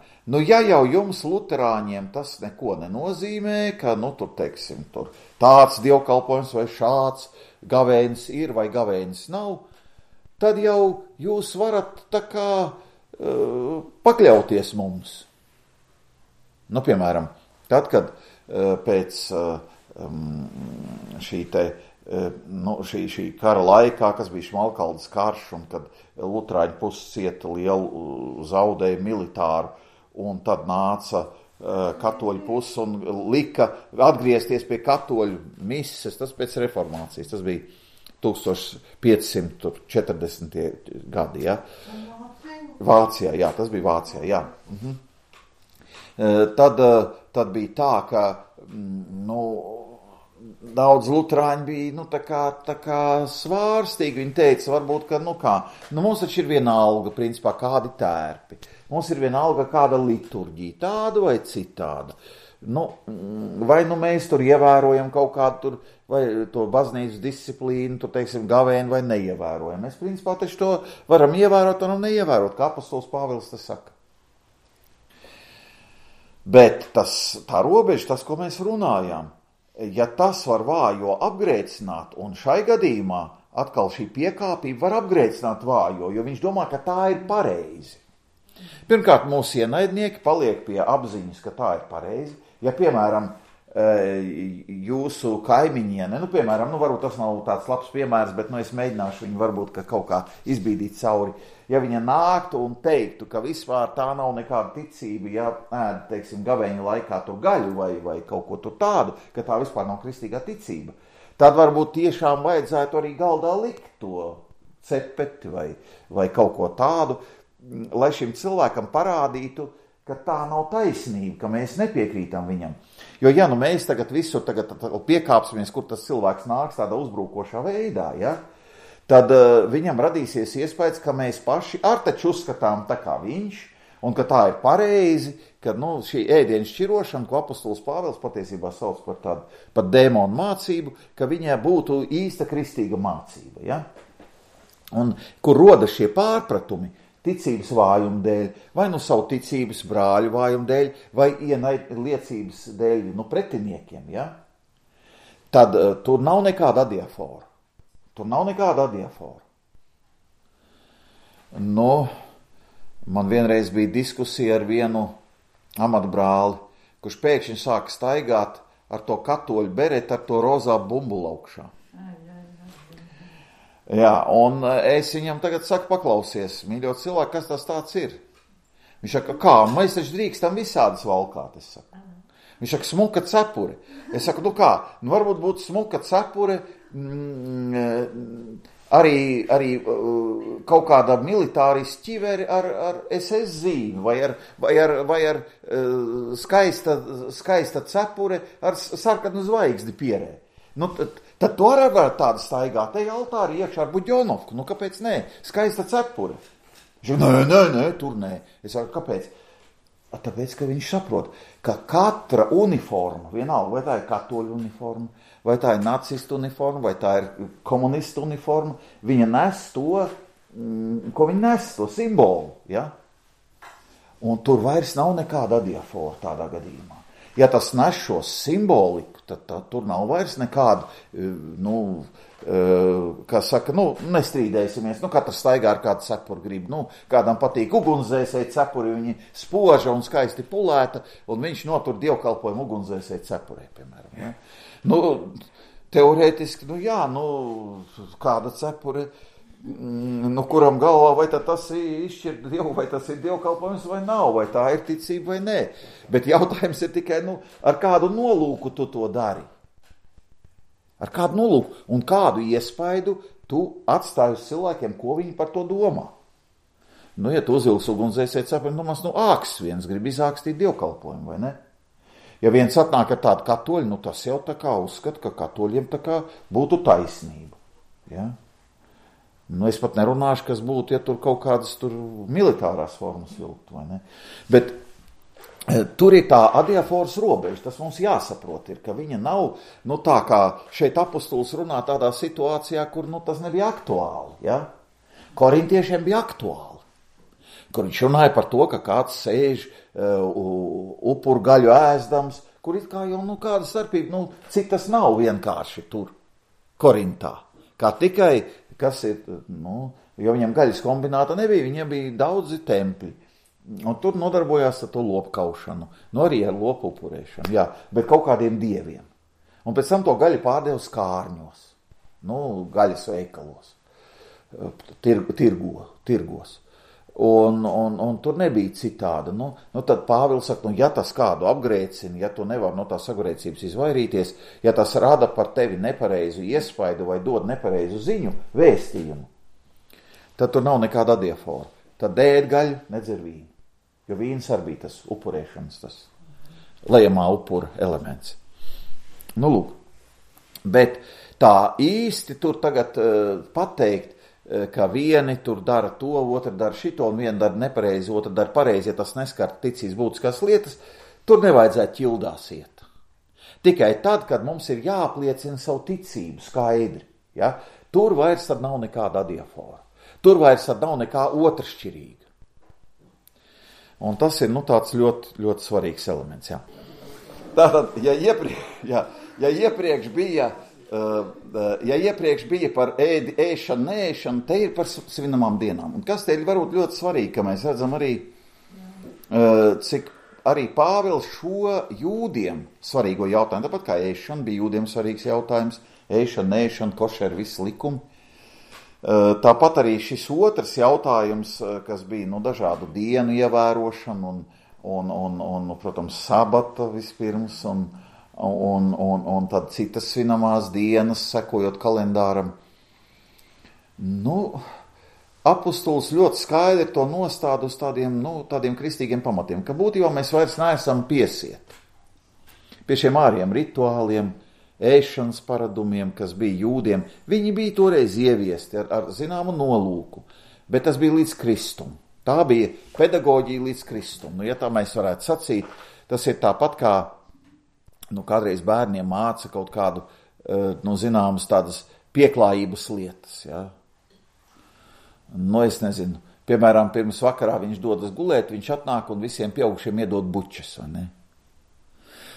ja jau jums luterāņiem tas neko nenozīmē, ka, tur, teiksim, tur tāds dievkalpojums vai šāds gavēnis ir vai gavēnis nav, tad jau jūs varat tā kā pakļauties mums. Nu, piemēram, tad, kad pēc šī kara laikā, kas bija Šmalkaldes karš, un kad luterāņu puses cieta lielu zaudējumu militāru, un tad nāca katoļu puses un lika atgriezties pie katoļu mises, tas pēc reformācijas, tas bija 1540. gadi, ja? Vācijā, jā, tas bija Vācijā, jā. Tad bija tā, ka, daudz luterāņi bija, tā kā svārstīgi. Viņi teica, varbūt, ka, mums taču ir viena alga, principā, kādi tērpi. Mums ir viena alga, kāda liturģija, tāda vai citāda. Vai mēs tur ievērojam kaut kādu tur, vai to baznīcas disciplīnu, tur, teiksim, gavēni vai neievērojam. Mēs, principā, taču to varam ievērot un neievērot, kā apostols Pāvils tas saka. Bet tā robeža, tas, ko mēs runājām, ja tas var vājo apgrēcināt, un šai gadījumā atkal šī piekāpība var apgrēcināt vājo, jo viņš domā, ka tā ir pareizi. Pirmkārt, mūsu ienaidnieki paliek pie apziņas, ka tā ir pareizi. Ja, piemēram, jūsu kaimiņiene, piemēram, varbūt tas nav tāds labs piemērs, bet es mēģināšu viņu varbūt kaut kā izbīdīt cauri. Ja viņa nāktu un teiktu, ka vispār tā nav nekāda ticība, ja ēd, teiksim, gavēņa laikā to gaļu vai kaut ko tur tādu, ka tā vispār nav kristīgā ticība, tad varbūt tiešām vajadzētu arī galdā likt to cepeti vai kaut ko tādu, lai šim cilvēkam parādītu, ka tā nav taisnība, ka mēs nepiekrītam viņam. Jo, ja mēs tagad visur piekāpsimies, kur tas cilvēks nāks tādā uzbrukošā veidā, ja, tad viņam radīsies iespējas, ka mēs paši taču uzskatām tā kā viņš, un ka tā ir pareizi, ka šī ēdienu šķirošana, ko apostols Pāvils patiesībā sauc par tādu pat dēmonu mācību, ka viņai būtu īsta kristīga mācība. Ja? Un kur rodas šie pārpratumi, ticības vājuma dēļ, vai savu ticības brāļu vājuma dēļ, vai liecības dēļ pretiniekiem, ja? Tad tur nav nekāda adiafora. Man vienreiz bija diskusija ar vienu amatbrāli, kurš pēkšņi sāka staigāt ar to katoļu beretu, ar to rozā bumbulu augšā. Jā, un es viņam tagad saku, paklausies, mīļo cilvēku, kas tas tāds ir? Viņš saka, kā, mēs taču drīkstam visādas valkāt, es saku. Viņš saka, smuka cepure. Es saku, varbūt būtu smuka cepure arī kaut kāda militāris ķiveri ar SS zīmi vai ar skaista cepure ar sarkanu zvaigzdi pierē. Tad to arī var tādu staigāt, te altāri iekšā ar buģonovku, kāpēc nē, skaista cepure. Viņš nē, tur nē. Es saku, kāpēc? Tāpēc, ka viņš saprot, ka katra uniforma, vienalga, vai tā ir katoļu uniforma, vai tā ir nacistu uniforma, vai tā ir komunistu uniforma, viņa nes to, ko viņa nes, to simbolu, ja? Un tur vairs nav nekāda adiafora tādā gadījumā. Ja tas nes šo simboliku, tad tur nav vairs nekāda, kā saka, nestrīdēsimies, katrs staigā ar kādu cepuri grib, kādam patīk ugunsdzēsēji cepuri, viņi spoža un skaisti pulēta, un viņš notur dievkalpojumu ugunsdzēsēji cepurē, piemēram, ja? Teorētiski, kāda cepure, kuram galvā, vai tas izšķir Dievu, vai tas ir dievkalpojums vai nav, vai tā ir ticība vai nē. Bet jautājums ir tikai, ar kādu nolūku tu to dari? Ar kādu nolūku un kādu iespaidu tu atstāji uz cilvēkiem, ko viņi par to domā? Ja tu uzvilks ugunsdzēsēji cepuri, āks viens grib izākstīt dievkalpojumu, vai ne? Ja viens atnāk ar tādu katoļu, tas jau tā kā uzskata, ka katoļiem tā kā būtu taisnība. Ja? Es pat nerunāšu, kas būtu, ja tur kaut kādas militārās formas vilkt, vai ne? Bet tur ir tā adiaforas robeža, tas mums jāsaprot ir, ka viņa nav, tā kā šeit apostols runā tādā situācijā, kur, tas nebija aktuāli, ja? Korintiešiem bija aktuāli. Kur viņš runāja par to, ka kāds sēž upuru gaļu ēzdams, kur it kā jau, kāda starpība, cik tas nav vienkārši tur, Korintā. Kā tikai kas ir, jo viņam gaļas kombināta nebija, viņiem bija daudzi tempļi. Un tur nodarbojās ar to lopu kaušanu, arī ar lopu upurēšanu, jā, bet kaut kādiem dieviem. Un pēc tam to gaļu pārdeva skārņos, gaļas veikalos, tirgos. Un tur nebija citāda. Tad Pāvils saka, ja tas kādu apgrēcina, ja tu nevar no tās sagrēcības izvairīties, ja tas rada par tevi nepareizu iespaidu vai dod nepareizu ziņu, vēstījumu, tad tur nav nekāda adiafora. Tad ēd gaļu, nedzer vīnu. Jo vīns arī bija tas upurēšanas, tas lejamā upura elements. Lūk. Bet tā īsti tur tagad pateikt, ka vieni tur dara to, otri dara šito, un vieni dara nepareizi, otri dara pareizi, ja tas neskar ticīs būtiskās lietas, tur nevajadzētu ķildās iet. Tikai tad, kad mums ir jāapliecina savu ticību skaidri, ja? Tur vairs tad nav nekāda adiafora. Tur vairs tad nav nekā otršķirīga. Un tas ir tāds ļoti, ļoti svarīgs elements. Ja? Tātad, ja iepriekš bija par ēšanu, neēšanu, te ir par svinamām dienām. Un kas te ir varbūt ļoti svarīgi, ka mēs redzam arī, cik arī Pāvils šo jūdiem svarīgo jautājumu, tāpat kā ēšana bija jūdiem svarīgs jautājums, ēšana, neēšana, košer, visi likumi. Tāpat arī šis otrs jautājums, kas bija dažādu dienu ievērošana un protams, sabata vispirms un tad citas svinamās dienas, sekojot kalendāram. Apustulis ļoti skaidri to nostāda uz tādiem kristīgiem pamatiem, ka būtībā mēs vairs neesam piesieti pie šiem āriem rituāliem, ēšanas paradumiem, kas bija jūdiem. Viņi bija toreiz ieviesti ar zināmu nolūku, bet tas bija līdz Kristum. Tā bija pedagoģija līdz Kristum. Ja tā mēs varētu sacīt, tas ir tāpat kā kādreiz bērniem māca kaut kādu, zināmas tādas pieklājības lietas. Ja? Es nezinu, piemēram, pirms vakarā viņš dodas gulēt, viņš atnāk un visiem pieaugušiem iedod bučas, vai ne?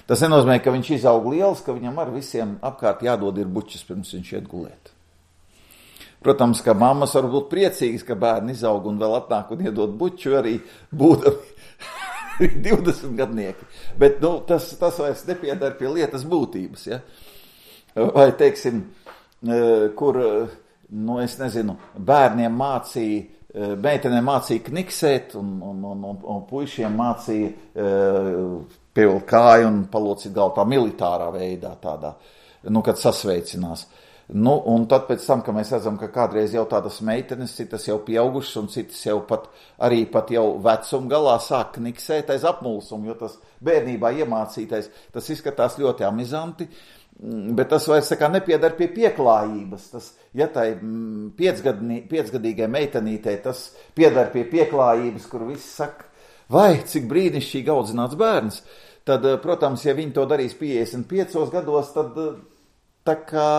Tas nenozīmē, ka viņš izaug liels, ka viņam ar visiem apkārt jādod ir bučas, pirms viņš iet gulēt. Protams, ka mammas var būt priecīgas, ka bērni izaug un vēl atnāk un iedod buču, arī būdami 20 gadnieki. Bet tas vairs nepiedara pie lietas būtības. Ja? Vai, teiksim, kur, es nezinu, bērniem mācīja, meitenēm mācīja kniksēt un puišiem mācīja pievilkt kāju un palocīt galvu tā militārā veidā tādā, kad sasveicinās. Un tad pēc tam, ka mēs redzam, ka kādreiz jau tādas meitenes, citas jau pieaugušas un citas jau pat jau vecuma galā sāk kniksēt aiz apmulsumu, jo tas bērnībā iemācītais, tas izskatās ļoti amizanti, bet tas vairs nepiedar pie pieklājības. Tas, ja tai piecgadīgai meitenītei tas piedar pie pieklājības, kur viss saka, vai cik brīnišķīgi audzināts bērns, tad, protams, ja viņi to darīs 55 gados, tad tā kā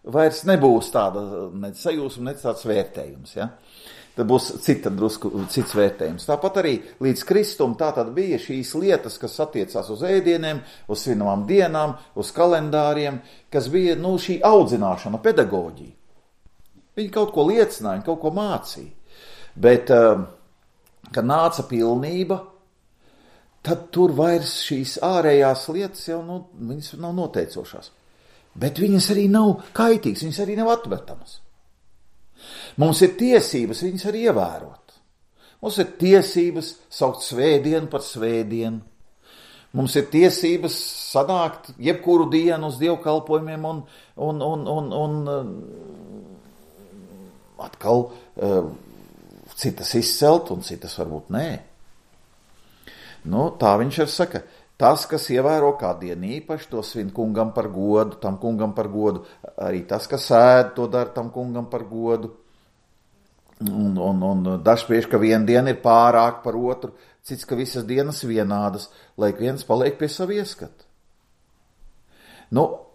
vairs nebūs tāda nec sajūsma, nec tāds vērtējums. Ja? Tad būs cits vērtējums. Tāpat arī līdz Kristum tā tad bija šīs lietas, kas attiecās uz ēdieniem, uz svinamām dienām, uz kalendāriem, kas bija šī audzināšana, pedagoģija. Viņi kaut ko liecināja, kaut ko mācīja. Bet kad nāca pilnība, tad tur vairs šīs ārējās lietas jau viņas nav noteicošās. Bet viņas arī nav kaitīgas, viņas arī nav atmetamas. Mums ir tiesības viņas arī ievērot. Mums ir tiesības saukt svētdienu par svētdienu. Mums ir tiesības sanākt jebkuru dienu uz dievkalpojumiem un atkal citas izcelt un citas varbūt nē. Tā viņš arī saka, tas, kas ievēro kādu dienu īpaši, to svin kungam par godu, tam kungam par godu, arī tas, kas ēd, to dara tam kungam par godu. Un dažspriež, ka viena diena ir pārāk par otru, cits, ka visas dienas vienādas, lai viens paliek pie savu ieskatu.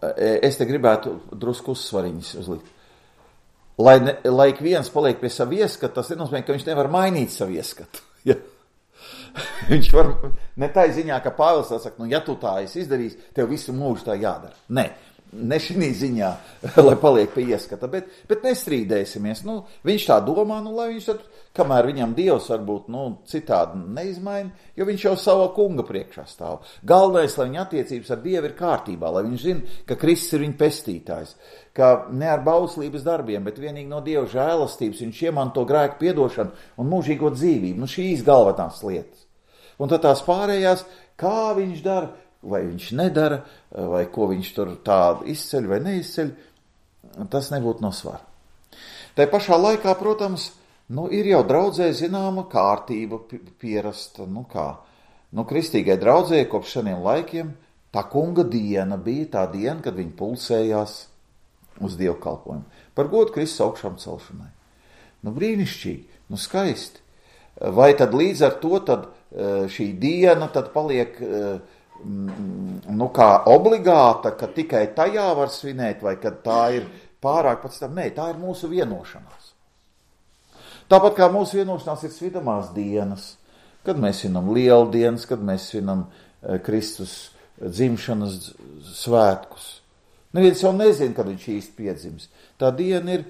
Es te gribētu drusku uzsvariņas uzlikt. Lai viens paliek pie savu ieskatu, tas nenozīmē, ka viņš nevar mainīt savu ieskatu. Ja? Viņš var, ne tā ziņā, ka Pāvils saka, ja tu tā esi izdarījis, tev visu mūžu tā jādara. Nē, ne šī ziņā, lai paliek pie ieskata, bet nestrīdēsimies. Viņš tā domā, lai viņš tad, kamēr viņam Dievs varbūt citādi neizmaina, jo viņš jau savā kunga priekšā stāv. Galvenais, lai viņa attiecības ar Dievu ir kārtībā, lai viņš zina, ka Kristus ir viņa pestītājs, ka ne ar bauslības darbiem, bet vienīgi no Dieva žēlastības viņš iemanto grēku piedošanu un mūžīgo dzīvību. Šīs galvenās lietas. Un tad tās pārējās, kā viņš dara, vai viņš nedara, vai ko viņš tur tādu izceļ vai neizceļ, tas nebūtu no svara. Tā pašā laikā, protams, ir jau draudzē zināma kārtība pierasta. Kristīgai draudzē kopš seniem laikiem tā kunga diena bija tā diena, kad viņi pulsējās uz dievkalpojumu. Par godu Kristus augšām celšanai. Brīnišķīgi, skaisti. Vai tad līdz ar to tad šī diena tad paliek kā obligāta, ka tikai tajā var svinēt, vai kad tā ir pārāk pēc tam? Nē, tā ir mūsu vienošanās. Tāpat kā mūsu vienošanās ir svinamās dienas, kad mēs svinam lieldienas, kad mēs svinam Kristus dzimšanas svētkus. Neviens jau nezina, kad viņš īsti piedzims. Tā diena ir,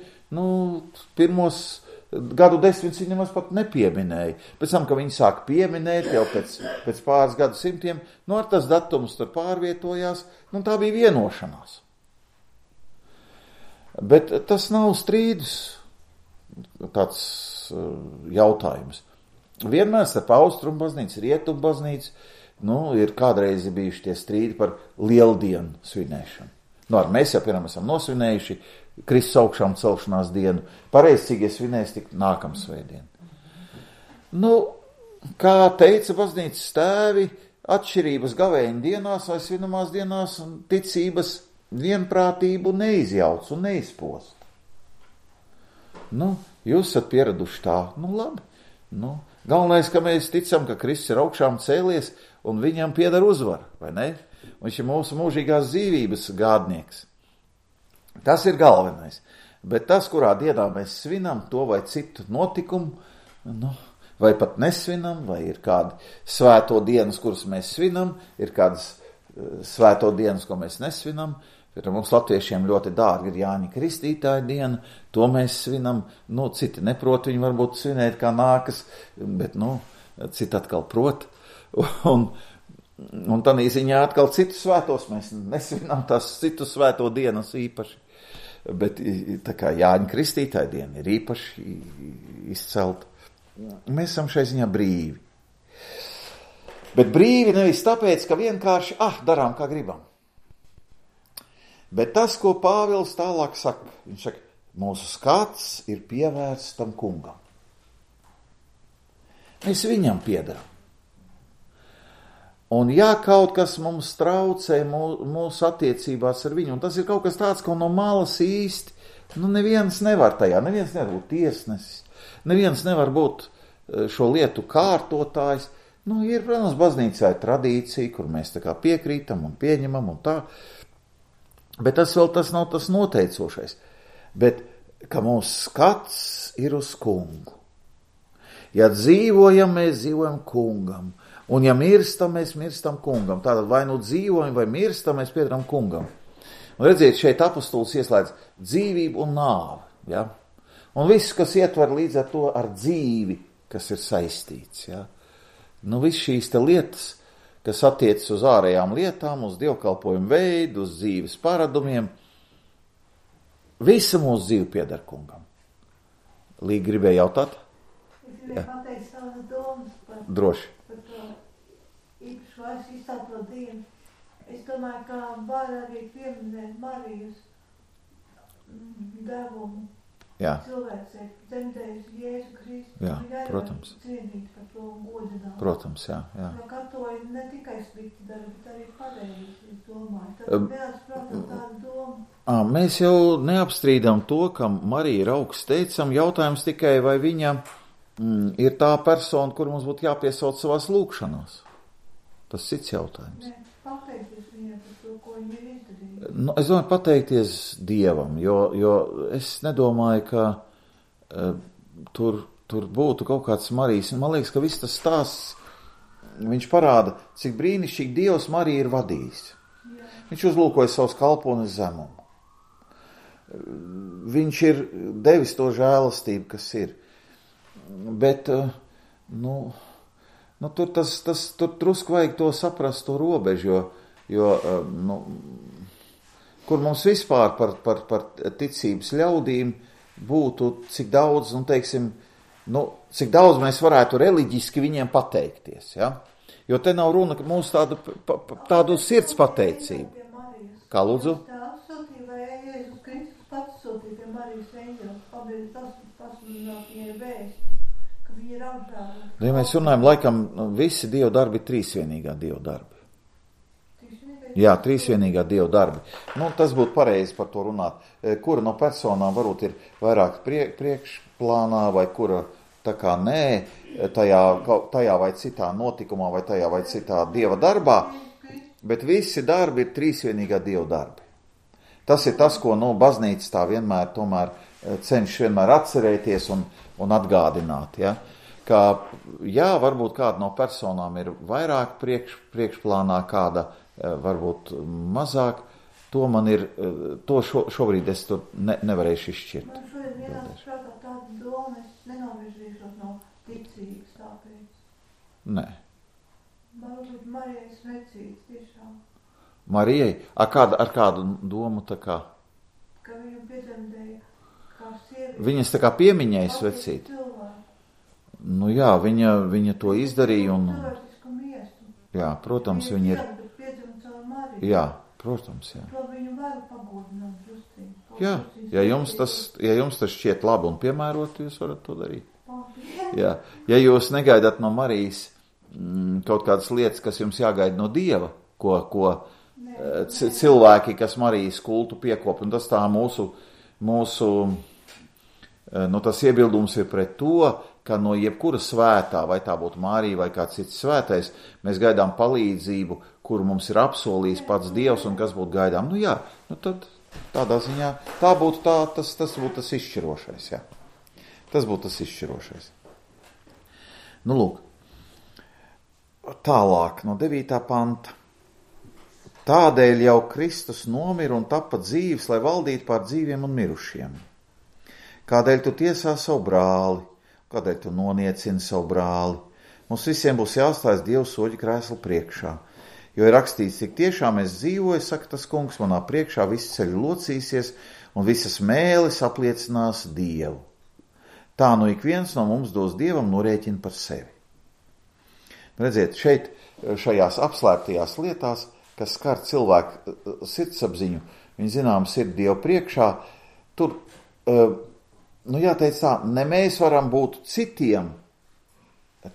pirmos gadu desmitus viņi nemaz pat nepieminēja. Pēc tam, ka viņi sāk pieminēt jau pēc pāris gadu simtiem, ar tas datums tur pārvietojās, tā bija vienošanās. Bet tas nav strīdus tāds jautājums. Vienmēr starp austrumu baznīcu, rietumu baznīcu, ir kādreiz bijuši tie strīdi par lieldienu svinēšanu. Mēs jau piemēram esam nosvinējuši Kristus augšām celšanās dienu. Pareizcīgie svinēs tik nākam svētdien. Kā teica baznīcas tēvi, atšķirības gavēņa dienās vai svinamās dienās un ticības vienprātību neizjauc un neizpost. Jūs esat pieraduši tā, labi. Galvenais, ka mēs ticam, ka Kristus ir augšām cēlies un viņam pieder uzvara, vai ne? Viņš ir mūsu mūžīgās dzīvības gādnieks. Tas ir galvenais. Bet tas, kurā dienā mēs svinam to vai citu notikumu, vai pat nesvinam, vai ir kādi svēto dienas, kuras mēs svinam, ir kādas svēto dienas, ko mēs nesvinam. Mums latviešiem ļoti dārgi ir Jāņa Kristītāja diena, to mēs svinam. Citi neprot, viņi varbūt svinēt kā nākas, bet citi atkal prot. Un tādā ziņā atkal citus svētos mēs nesvinām tās citu svēto dienas īpaši. Bet tā kā Jāņa Kristītāja diena ir īpaši izcelta. Mēs esam šai ziņā brīvi. Bet brīvi nevis tāpēc, ka vienkārši darām, kā gribam. Bet tas, ko Pāvils tālāk saka, viņš saka, mūsu skats ir pievērsts tam kungam. Mēs viņam piedaram. Un ja kaut kas mums traucē mūsu attiecībās ar viņu, un tas ir kaut kas tāds, ko no malas īsti, neviens nevar tajā, neviens nevar būt tiesnesis, neviens nevar būt šo lietu kārtotājs. Ir, protams, baznīcā ir tradīcija, kur mēs tā kā piekrītam un pieņemam un tā, bet tas nav tas noteicošais. Bet, ka mūsu skats ir uz kungu. Ja dzīvojam, mēs dzīvojam kungam. Un ja mirstam, mēs mirstam kungam. Tātad vai dzīvojam, vai mirstam, mēs piedaram kungam. Un redziet, šeit apostols ieslēdz dzīvību un nāvi. Ja? Un viss, kas ietver līdz ar to ar dzīvi, kas ir saistīts. Ja? Viss šīs te lietas, kas attiecas uz ārējām lietām, uz dievkalpojumu veidu, uz dzīves paradumiem, visa mūsu dzīve pieder kungam. Līga gribēja jautāt? Es gribēju pateikt savas domas par... Droši. Īpaši vairs izstāto dienu. Es domāju, ka var arī pieminēt Marijas devumu. Jā. Cilvēks ir dzemdējis Jēzu Kristu. Jā, protams. Cienīt par to godināt. Protams, jā. Jo katoļi ne tikai slikti dara, bet arī pareizi, es domāju. Tad neatprātā tāda doma. Mēs jau neapstrīdam to, ka Marija ir augsts teicam. Jautājums tikai, vai viņa ir tā persona, kur mums būtu jāpiesauc savās lūkšanās. Tas cits jautājums. Nē, pateikties viņai par to, ko viņa ir izdarījusi. Es domāju pateikties Dievam, jo es nedomāju, ka tur būtu kaut kāds Marijas. Man liekas, ka viss tas stāsts, viņš parāda, cik brīnišķīgi Dievs Mariju ir vadījis. Viņš uzlūkoja savus kalpones zemumu. Viņš ir devis to žēlastību, kas ir. Bet, tur drusku vajag to saprast, to robežu, jo kur mums vispār par ticības ļaudīm būtu, cik daudz, cik daudz mēs varētu reliģiski viņiem pateikties, ja? Jo te nav runa, ka mūsu tādu sirds pateicību. Kā lūdzu? Ja mēs runājam, laikam, visi Dieva darbi ir trīsvienīgā Dieva darbi. Jā, trīsvienīgā Dieva darbi. Tas būtu pareizi par to runāt. Kura no personām varbūt ir vairāk priekšplānā, vai kura tā kā nē, tajā vai citā notikumā, vai tajā vai citā Dieva darbā, bet visi darbi ir trīsvienīgā Dieva darbi. Tas ir tas, ko baznīca tā vienmēr tomēr cenšas vienmēr atcerēties un atgādināt, ja? Ka, jā, varbūt kāda no personām ir vairāk priekšplānā, kāda varbūt mazāk, to man ir, šobrīd es tur nevarēšu izšķirt. Man šodien ienāca prātā tāda doma, es nenovirzīšos no ticības tāpēc. Nē. Varbūt Marijai svecīts tiešām. Marijai? Ar kādu domu tā kā? Ka viņu piedzemdēja kā sievieti. Viņas tā kā piemiņai svecīt? Jā, viņa to izdarīja un... Cilvēcisku miestu. Jā, protams, viņa ir... Jā, protams, jā. To viņu vēl pagodināt drusciņu. Jā, ja jums tas šķiet labi un piemērot, jūs varat to darīt. Jā, ja jūs negaidat no Marijas kaut kādas lietas, kas jums jāgaida no Dieva, ko cilvēki, kas Marijas kultu piekop, un tas tā mūsu tas iebildums ir pret to, ka no jebkura svētā, vai tā būtu Marija vai kāds cits svētais, mēs gaidām palīdzību, kuru mums ir apsolījis pats Dievs, un kas būtu gaidām. Tad tādā ziņā tas būtu tas izšķirošais, jā. Tas būtu tas izšķirošais. Lūk, tālāk no 9. panta. Tādēļ jau Kristus nomira un tapa dzīves, lai valdītu pār dzīviem un mirušiem. Kādēļ tu tiesā savu brāli? Kādēļ tu noniecini savu brāli? Mums visiem būs jāstājas Dieva soļu krēsla priekšā. Jo ir rakstīts, cik tiešām es dzīvoju, saka tas kungs, manā priekšā visi ceļi locīsies un visas mēlis apliecinās Dievu. Tā ik viens no mums dos Dievam norēķinu par sevi. Redziet, šeit, šajās apslēptajās lietās, kas skar cilvēku sirdsapziņu, viņi zināms ir Dievu priekšā, tur, jāteic tā, ne mēs varam būt citiem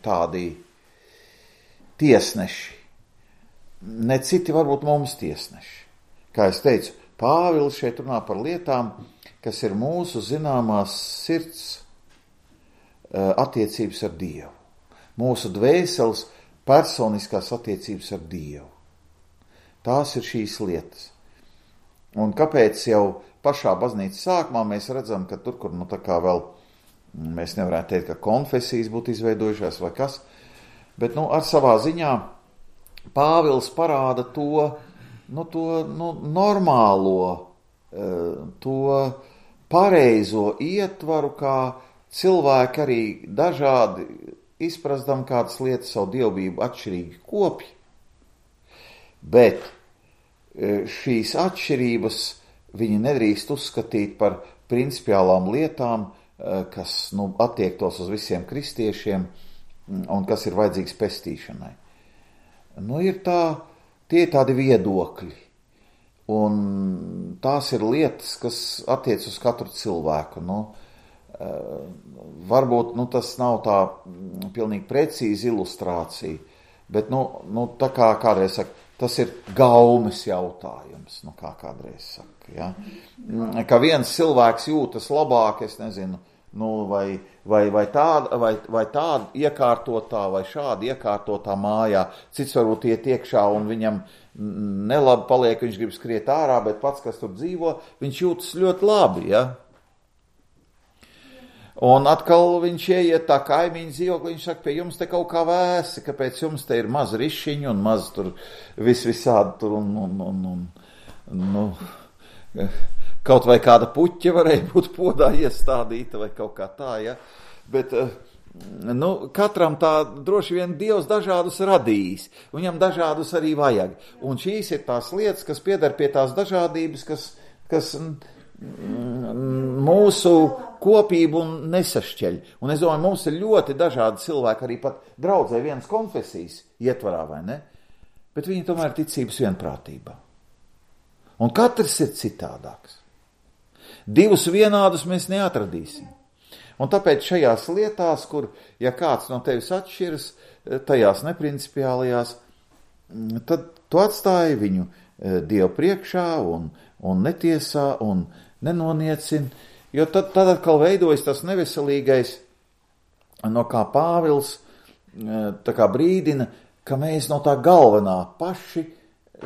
tādi tiesneši, ne citi varbūt mums tiesneši. Kā es teicu, Pāvils šeit runā par lietām, kas ir mūsu zināmās sirds attiecības ar Dievu. Mūsu dvēseles personiskās attiecības ar Dievu. Tās ir šīs lietas. Un kāpēc jau pašā baznīcas sākumā mēs redzam, ka tur, kur tā kā vēl, mēs nevarētu teikt, ka konfesijas būtu izveidojušās vai kas, bet ar savā ziņā Pāvils parāda to normālo, to pareizo ietvaru, kā cilvēki arī dažādi izprastam kādas lietas savu dievbību atšķirīgi kopji. Bet šīs atšķirības viņi nedrīkst uzskatīt par principiālām lietām, kas attiektos uz visiem kristiešiem un kas ir vajadzīgs pestīšanai. Tie ir tādi viedokļi, un tās ir lietas, kas attiec uz katru cilvēku. Varbūt tas nav tā pilnīgi precīzi ilustrācija, bet tā kā kādreiz saka, tas ir gaumes jautājums, kā kādreiz saka, ja? Ka viens cilvēks jūtas labāk, es nezinu, vai tāda iekārtotā vai šāda iekārtotā mājā, cits varbūt iet iekšā un viņam nelabi paliek, viņš grib skriet ārā, bet pats, kas tur dzīvo, viņš jūtas ļoti labi, ja? Un atkal viņš ieiet tā kaimiņu dzīvokli, viņš saka, pie jums te kaut kā vēsi, kāpēc jums te ir maz rišiņu un maz tur visādi tur kaut vai kāda puķa varēja būt podā iestādīta vai kaut kā tā, ja. Bet, katram tā droši vien Dievs dažādus radījis, viņam dažādus arī vajag. Un šīs ir tās lietas, kas pieder pie tās dažādības, kas mūsu kopību nesašķeļ. Un es domāju, mums ir ļoti dažādi cilvēki, arī pat draudzē vienas konfesijas ietvarā, vai ne? Bet viņi tomēr ticības vienprātībā. Un katrs ir citādāks. Divus vienādus mēs neatradīsim. Un tāpēc šajās lietās, kur, ja kāds no tevis atšķiras, tajās neprincipiālajās, tad tu atstāji viņu Dievu priekšā un netiesā un nenoniecina, jo tad atkal veidojas tas neveselīgais, no kā Pāvils tā kā brīdina, ka mēs no tā galvenā paši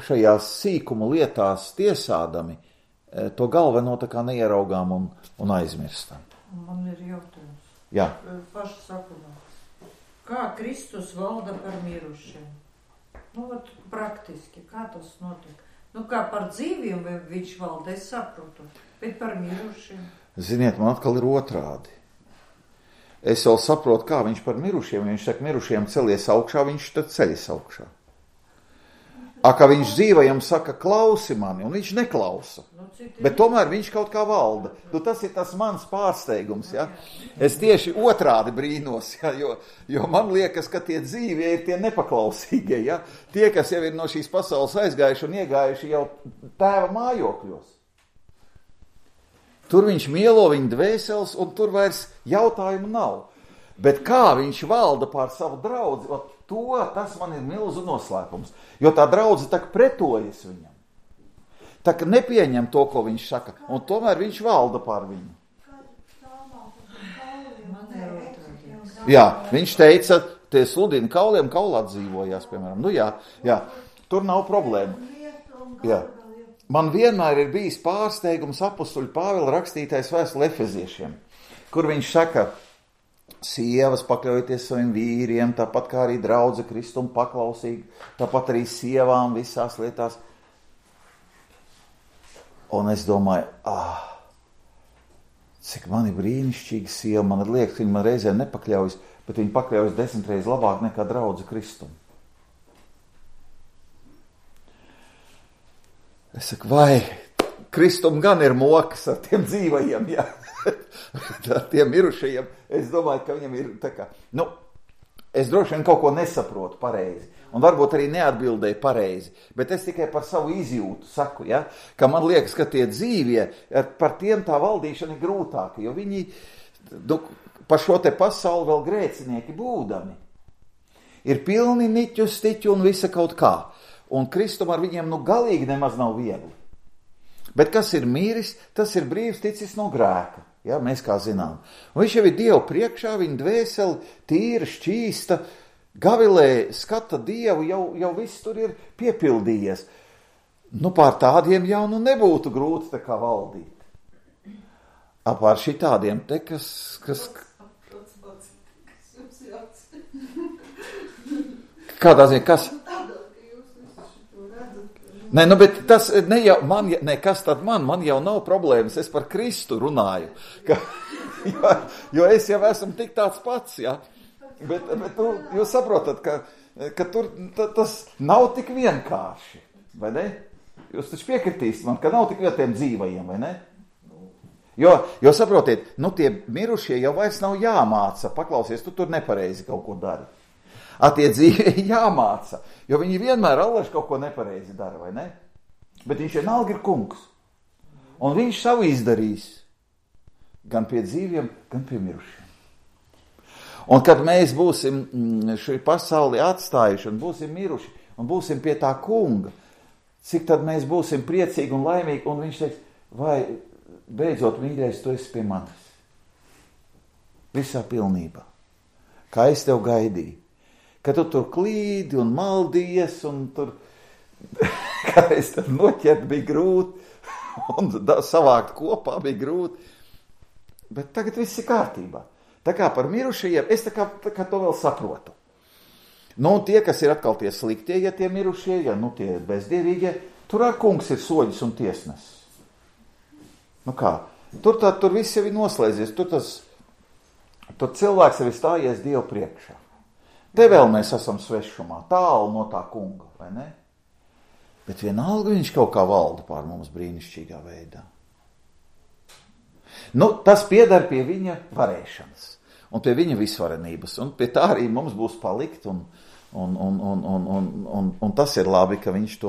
šajās sīkumu lietās tiesādami to galveno tā kā neieraugām un aizmirstam. Man ir jautājums. Jā. Paši sakumā. Kā Kristus valda par mirušiem? Praktiski, kā tas notiek? Kā par dzīviem viņš valda, es saprotu, bet par mirušiem. Ziniet, man atkal ir otrādi. Es vēl saprotu, kā viņš par mirušiem, viņš saka, mirušiem celies augšā, viņš tad ceļas augšā. Kā viņš dzīvajam saka, klausi mani, un viņš neklausa. Bet tomēr viņš kaut kā valda. Tas ir tas mans pārsteigums, ja? Es tieši otrādi brīnos, ja? Jo man liekas, ka tie dzīvie ir tie nepaklausīgie, ja? Tie, kas jau ir no šīs pasaules aizgājuši un iegājuši jau tēva mājokļos. Tur viņš mielo viņa dvēseles, un tur vairs jautājumu nav. Bet kā viņš valda pār savu draudzi, tas man ir milzu noslēpums, jo tā draudze tak pretojas viņam. Tak nepieņem to, ko viņš saka, un tomēr viņš valda pār viņu. Jā, viņš teica, tie sludina kauliem, kaulā dzīvojās, piemēram. Jā, tur nav problēma. Jā. Man vienmēr ir bijis pārsteigums apostuļa Pāvila rakstītais vēstule Efeziešiem, kur viņš saka, sievas pakļaujieties saviem vīriem, tāpat kā arī draudze Kristum paklausīgi, tāpat arī sievām visās lietās. Un es domāju, cik man ir brīnišķīga sieva, man liekas, viņa man reizē nepakļaujas, bet viņa pakļaujas 10 reizes labāk nekā draudze Kristum. Es saku, vai Kristum gan ir mokas ar tiem dzīvajiem, jā. Ar tiem mirušajiem, es domāju, ka viņam ir tā kā, es droši vien kaut ko nesaprotu pareizi, un varbūt arī neatbildēju pareizi, bet es tikai par savu izjūtu saku, ja, ka man liekas, ka tie dzīvie, par tiem tā valdīšana ir grūtāka, jo viņi par šo te pasauli vēl grēcinieki būdami. Ir pilni niķu, stiķu un visa kaut kā, un Kristum ar viņiem galīgi nemaz nav viegli. Bet kas ir mīris, tas ir brīvs ticis no grēka. Ja, mēs kā zinām. Un viņš jau ir Dievu priekšā, viņa dvēseli tīra, šķīsta, gavilē, skata Dievu, jau viss tur ir piepildījies. Pār tādiem jau nebūtu grūti tā kā valdīt. Pār šitādiem te, kas... Kādā ziņā, kas? Nē, bet tas ne jau man, kas tad man jau nav problēmas, es par Kristu runāju, jo es jau esmu tik tāds pats, ja, bet jūs saprotat, ka tur tas nav tik vienkārši, vai ne? Jūs taču piekritīsiet man, ka nav tik vietiem dzīvajiem, vai ne? Jo saprotiet, tie mirušie jau vairs nav jāmāca, paklausies, tu tur nepareizi kaut ko dari. Tie dzīvie jāmāca, jo viņi vienmēr allaž kaut ko nepareizi dara, vai ne? Bet viņš vienalga ir kungs. Un viņš savu izdarīs gan pie dzīviem, gan pie mirušiem. Un kad mēs būsim šī pasauli atstājuši un būsim miruši un būsim pie tā kunga, cik tad mēs būsim priecīgi un laimīgi, un viņš teiks, vai beidzot, mīļais, tu esi pie manis. Visā pilnībā. Kā es tev gaidīju. Ka tu tur klīdi un maldījies, un tur, kā es tad noķert, bija grūti, un savākt kopā bija grūti. bet tagad viss ir kārtībā. Tā kā par mirušajiem, es tā kā to vēl saprotu. Nu, tie, kas ir atkal tie sliktie, ja tie mirušie, ja nu tie bezdievīgie, tur ar kungs ir soļus un tiesnesis. Nu kā, tur viss jau ir noslēdzies, tur cilvēks jau ir stājies Dievu priekšā. Te vēl mēs esam svešumā, tālu no tā kunga, vai ne? Bet vienalga viņš kaut kā valda pār mums brīnišķīgā veidā. Nu, tas piedar pie viņa varēšanas un pie viņa visvarenības, un pie tā arī mums būs palikt, un tas ir labi, ka viņš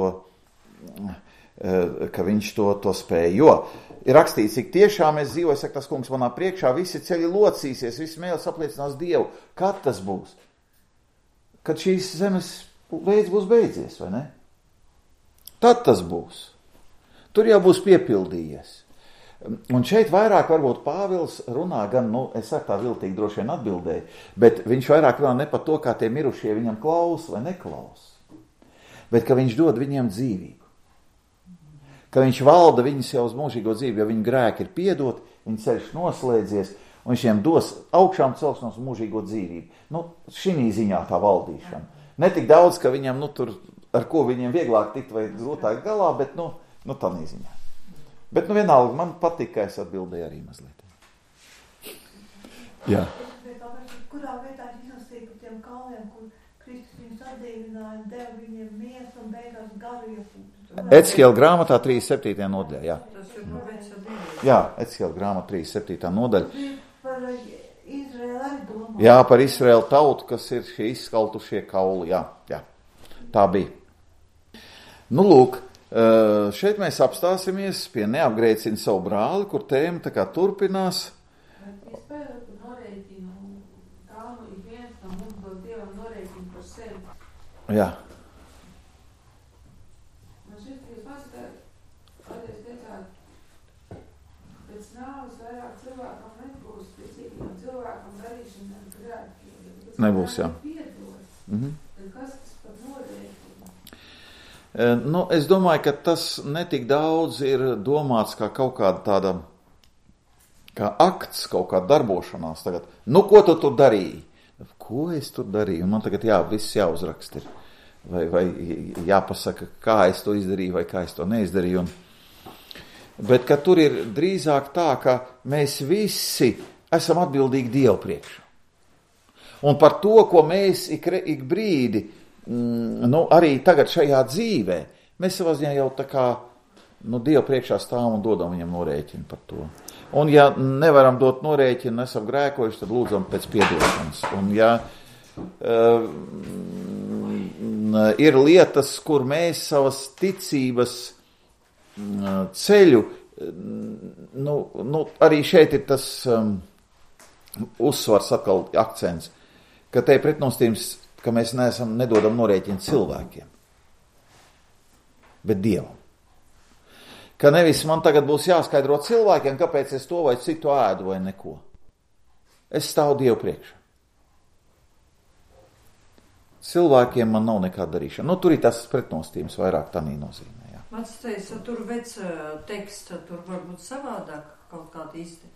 to spēja, jo ir rakstīts, cik tiešām es dzīvoju, saka tas kungs manā priekšā, visi ceļi locīsies, visi mēlis apliecinās Dievu. Kad tas būs? Kad šīs zemes veids būs beidzies, vai ne? Tad tas būs. Tur jau būs piepildījies. Un šeit vairāk varbūt Pāvils runā gan, es saku tā viltīgi droši vien atbildēju, bet viņš vairāk runā ne par to, kā tie mirušie viņam klaus vai neklaus, bet ka viņš dod viņiem dzīvību. Ka viņš valda viņus jau uz mūžīgo dzīvi, jo viņu grēki ir piedot, viņu ceļš noslēdzies, un viņš viņiem dos augšām celšanos uz mūžīgo dzīvību. Nu, šī ziņā tā valdīšana. Ne tik daudz, ka viņam, tur, ar ko viņiem vieglāk tikt vai grūtāk galā, bet, tā ziņā. Bet, vienalga, man patīk, ka es atbildēju arī mazliet. Jā. Kurā vietā izlasīja par tiem kalniem, kur Kristus viņus atdīvināja un deva viņiem miesu un beigās garu iepūtu? Ecihiela grāmatā 37. nodaļā, jā. Jā, Ecihiela grāmatā 37. nodaļa. Par Izraēlu arī domā. Jā, par Izraēlu tautu, kas ir šie izskaltušie kauli, jā. Tā bija. Nu, lūk, šeit mēs apstāsimies pie neapgrēcina savu brāli, kur tēma tā kā turpinās. Jā. Man šeit, ka jūs pasakāt, kādreiz teicāt, pēc nāves vairāk cilvēkam nebūs, pēc citiem cilvēkam darīšanām grēkiem. Nebūs, jā. Tad kas tas par norēķinu? Es domāju, ka tas netik daudz ir domāts kā kaut kāda tāda, kā akts, kaut kāda darbošanās tagad. Nu, ko tu tur darīji? Ko es tur darīju? Man tagad viss jāuzrakst ir. Vai jāpasaka, kā es to izdarīju, vai kā es to neizdarīju. Bet, ka tur ir drīzāk tā, ka mēs visi esam atbildīgi Dievu priekšā. Un par to, ko mēs ik brīdi, arī tagad šajā dzīvē, mēs savā ziņā jau tā kā, Dievu priekšā stāvam un dodam viņam norēķinu par to. Un ja nevaram dot norēķinu, esam grēkojuši, tad lūdzam pēc piedošanas. Un ja ir lietas, kur mēs savas ticības ceļu, arī šeit ir tas uzsvars atkal akcents, ka te ir pretnostījums, ka mēs nedodam norēķinu cilvēkiem, bet Dievam. Ka nevis man tagad būs jāskaidro cilvēkiem, kāpēc es to vai citu ēdu vai neko. Es stāvu Dievu priekšā. Cilvēkiem man nav nekāda darīšana. Tur ir tas pretnostījums vairāk tādā nozīmē. Jā. Mans teica, tur vec teksta, tur varbūt savādāk kaut kāda īsti.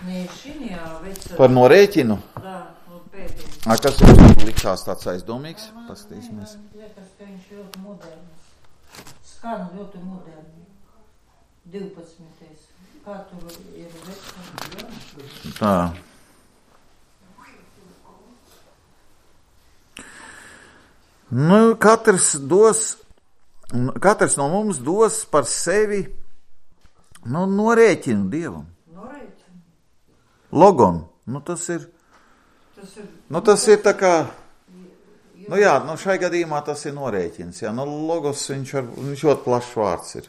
Nē, šiņā vec... Par norēķinu? Jā, pēdējais. Kas jums likās tāds aizdomīgs? Pastīsimies. Man liekas, ka viņš ļoti moderns. Skan ļoti moderns. 12. Kā tur ir vecums? Tā. Katrs no mums dos par sevi norēķinu Dievam. Norēķinu? Logon. Tas ir tā kā... šai gadījumā tas ir norēķins. Jā. Logos viņš ļoti plašs vārds ir.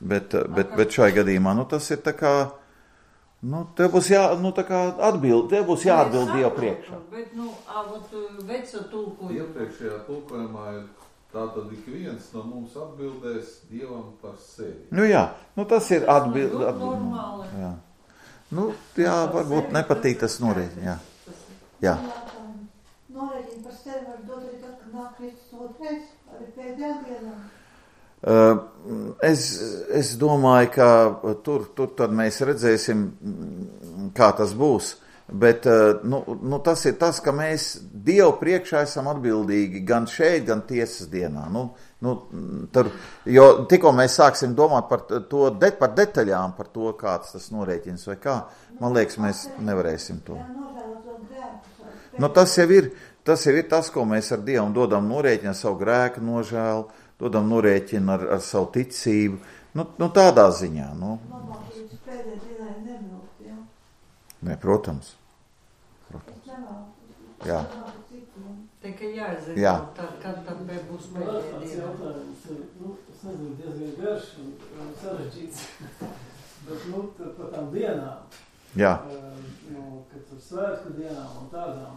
Bet šai gadījumā, tas ir tā kā, tev būs jāatbild Dievu priekšā. Bet, veca tulkojuma. Iepriekšējā tulkojumā ir tātad ik viens no mums atbildēs Dievam par sevi. Tas ir atbild. Normāli. Jā. Varbūt nepatīk tas norēķini, jā. Norēķini par sevi var dot arī tad, kad nāk Kristus otrais, arī pēdējā dienā. Es domāju, ka tur tad mēs redzēsim, kā tas būs. Bet tas ir tas, ka mēs Dievu priekšā esam atbildīgi gan šeit, gan tiesas dienā. Jo tikko mēs sāksim domāt par detaļām, par to, kāds tas norēķins vai kā, man liekas, mēs nevarēsim to. Tas jau ir tas, ko mēs ar Dievu dodam norēķinu, ar savu grēku nožēlu, dodam norēķinu ar savu ticību. Tādā ziņā. Nē, protams. Jā. Tikai jāzina, Jā. kad tad būs pēdējā diena. Es nezinu, diezgan garš un sarežģīts, bet par tām dienām, Jā. Kad tur svētku dienām un tādām,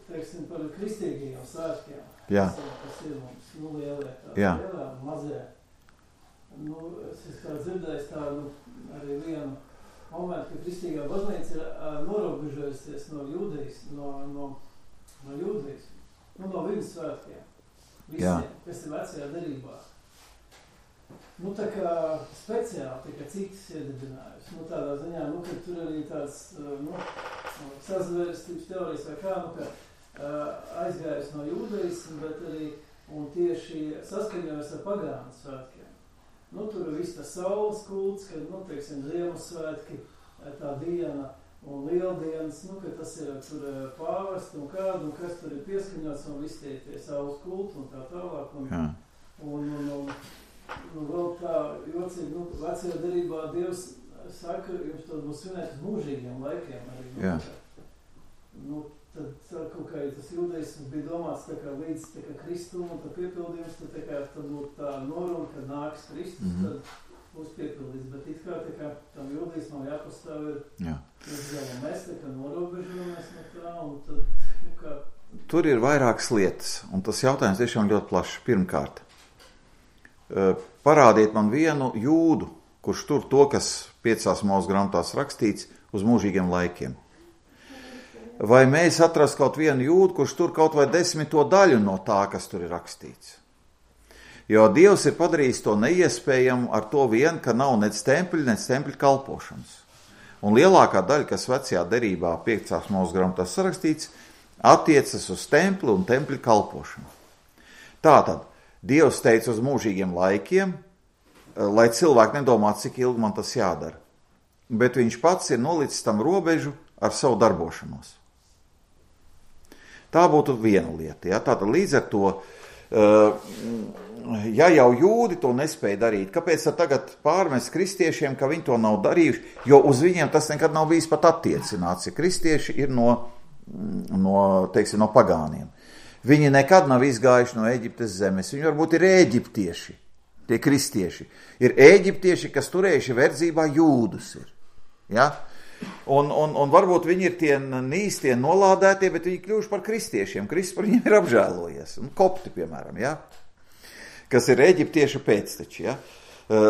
teiksim par kristīgajiem svētkiem, Jā. kas ir mums, lielie, Jā. Lielā, mazie. Es kā dzirdējis tādu arī vienu momentu, ka kristīgā baznīca ir norobežojusies no jūdaisma, no viņas svētkiem, visiem, kas ir vecajā derībā. Tā kā speciāli, tā kā citas iedibinājusi. Tādā ziņā, ka tur arī tāds, sazvērstības teorijas vai kā, aizgājis no jūdaisma, bet arī, un tieši saskaņojas ar pagānu svētkiem. Tur ir viss tas saules kults, kad, teiksim, Ziemassvētki, tā diena un lieldienas, ka tas ir tur pāvest un kādu, un kas tur ir pieskaņots, un viss tie saules kulti un tā tālāk. Un vēl tā jocīgi, vecajā derībā Dievs saka, jums to būs svinēt uz mūžīgiem laikiem arī. Jā. Tad kaut kā tas jūdaisms bija domāts tā kā līdz tā kā Kristumu, un tad piepildījums, tad būtu tā noruna, kad nāks Kristus, tad būs piepildīts. Bet it kā tā kā tam jūdaismam jāpastāv ir, mēs tā kā norobežojamies no tā, un tad, kā... Tur ir vairākas lietas, un tas jautājums tiešām ļoti plašs. Pirmkārt, parādiet man vienu jūdu, kurš tur to, kas 5 mūsu grāmatās rakstīts, uz mūžīgiem laikiem. Vai mēs atrast kaut vienu jūdu, kurš tur kaut vai 10. daļu no tā, kas tur ir rakstīts. Jo Dievs ir padarījis to neiespējamu ar to vien, ka nav nec tempļa kalpošanas. Un lielākā daļa, kas vecajā derībā 5. mūsu grāmatās sarakstīts, attiecas uz templi un tempļa kalpošanu. Tātad, Dievs teica uz mūžīgiem laikiem, lai cilvēki nedomā, cik ilgi man tas jādara. Bet viņš pats ir nolicis tam robežu ar savu darbošanos. Tā būtu viena lieta. Ja? Tātad līdz ar to, ja jau jūdi to nespēja darīt, kāpēc tagad pārmest kristiešiem, ka viņi to nav darījuši, jo uz viņiem tas nekad nav bijis pat attiecināts, ja kristieši ir no pagāniem. Viņi nekad nav izgājuši no Eģiptes zemes, viņi varbūt ir ēģiptieši, tie kristieši. Ir ēģiptieši, kas turējuši verdzībā jūdus ir. Ja? Un varbūt viņi ir tie nīstie nolādētie, bet viņi kļuvuši par kristiešiem. Kristus par viņiem ir apžēlojies. Kopti, piemēram, ja? Kas ir eģiptiešu pēcteči. Ja?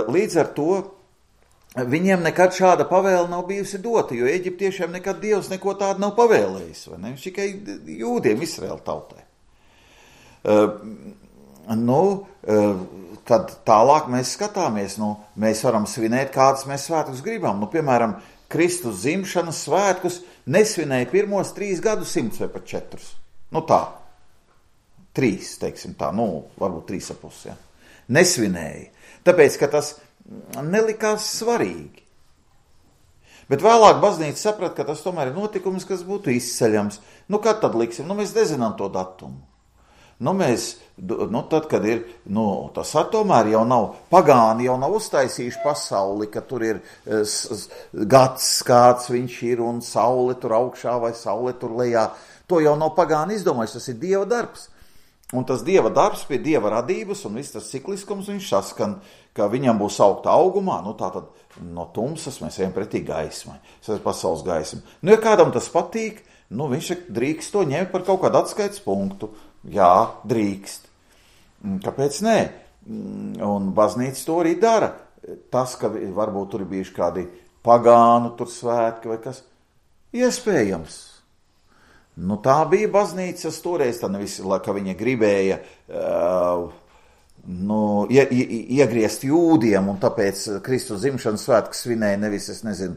Līdz ar to viņiem nekad šāda pavēle nav bijusi dota, jo eģiptiešiem nekad Dievs neko tādu nav pavēlējis. Vai ne? Viņš tikai jūdiem, Izraēla tautai. Tad tālāk mēs skatāmies. Mēs varam svinēt, kādas mēs svētkus gribam. Piemēram, Kristus dzimšanas svētkus nesvinēja pirmos 3 gadsimtus vai pat 4. Tā. 3, teiksim tā, varbūt 3,5. Ja. Nesvinēja. Tāpēc, ka tas nelikās svarīgi. Bet vēlāk baznīca saprata, ka tas tomēr ir notikums, kas būtu izceļams. Kad tad liksim? Mēs nezinām to datumu. Tad, kad ir, tas tomēr jau nav, pagāni jau nav uztaisījuši pasauli, ka tur ir gads, kāds viņš ir, un saule tur augšā vai saule tur lejā. To jau nav pagāni izdomājis, tas ir Dieva darbs. Un tas Dieva darbs pie Dieva radības un viss tas cikliskums, viņš saskan, ka viņam būs augta augumā, tātad no tumsas mēs ejam pretī gaismai. Tas ir pasaules gaisma. Ja kādam tas patīk, viņš drīkst to ņemt par kaut kādu atskaites punktu. Jā, drīkst. Kāpēc nē? Un baznīca to arī dara. Tas, ka varbūt tur ir bijuši kādi pagānu tur svētki vai kas, iespējams. Tā bija baznīcas toreiz, tā nevis, ka viņa gribēja iegriezt jūdiem, un tāpēc Kristus dzimšanas svētku svinēja nevis, es nezinu,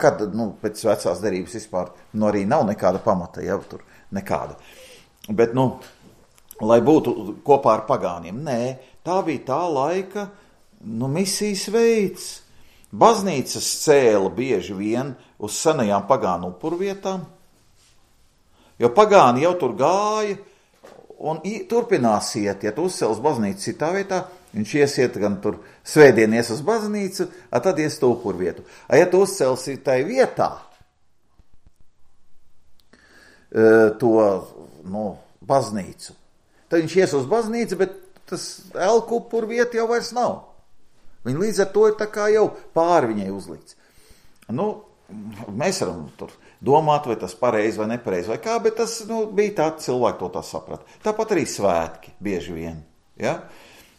kad, pēc vecās derības vispār, arī nav nekāda pamata, jau tur nekāda. Bet, lai būtu kopā ar pagāniem. Nē, tā bija tā laika, misijas veids. Baznīcas cēla bieži vien uz senajām pagānu upurvietām, jo pagāni jau tur gāja, un turpinās iet, ja tu uzcels baznīcu citā vietā, viņš iesiet gan tur svētdien ies uz baznīcu, tad ies to upurvietu. Ja tu uzcelsi tai vietā to baznīcu, tad viņš ies uz baznīcu, bet tas elku upurvieta jau vairs nav. Viņa līdz ar to ir tā kā jau pāri viņai uzlikts. Mēs varam tur domāt, vai tas pareizi vai nepareizi vai kā, bet tas bija tā, cilvēki to tā saprata. Tāpat arī svētki bieži vien. Ja?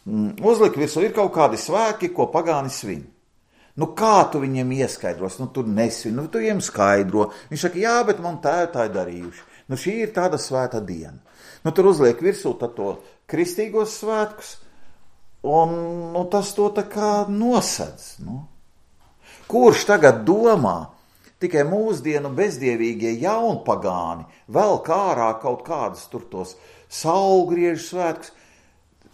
Uzlika virsū ir kaut kādi svētki, ko pagāni svin. Kā tu viņiem ieskaidros? Tur nesvin, tu viņiem skaidro. Viņš saka, jā, bet man tēvi tā ir darījuši. Šī ir tāda svēta diena. Tur uzliek virsū to kristīgos svētkus, un tas to tā kā nosedz. Kurš tagad domā, tikai mūsdienu bezdievīgie jaunpagāni vēl kārā kaut kādus tur tos saulgriežu svētkus.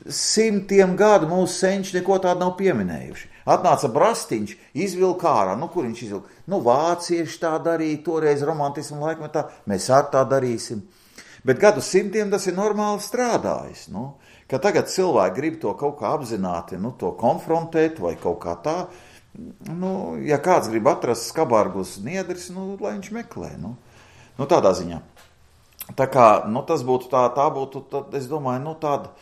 100 gadu mūsu senči neko tādu nav pieminējuši. Atnāca Brastiņš, izvilka ārā. Kur viņš izvilka? Vācieši tā darīja, toreiz romantismu laikmetā, mēs ar tā darīsim. Bet gadu 100 tas ir normāli strādājis. Ka tagad cilvēki grib to kaut kā apzināti, to konfrontēt vai kaut kā tā. Ja kāds grib atrast skabārgus niedris, lai viņš meklē. Tādā ziņā. Tā kā, tas būtu tā būtu, tad, es domāju, tāda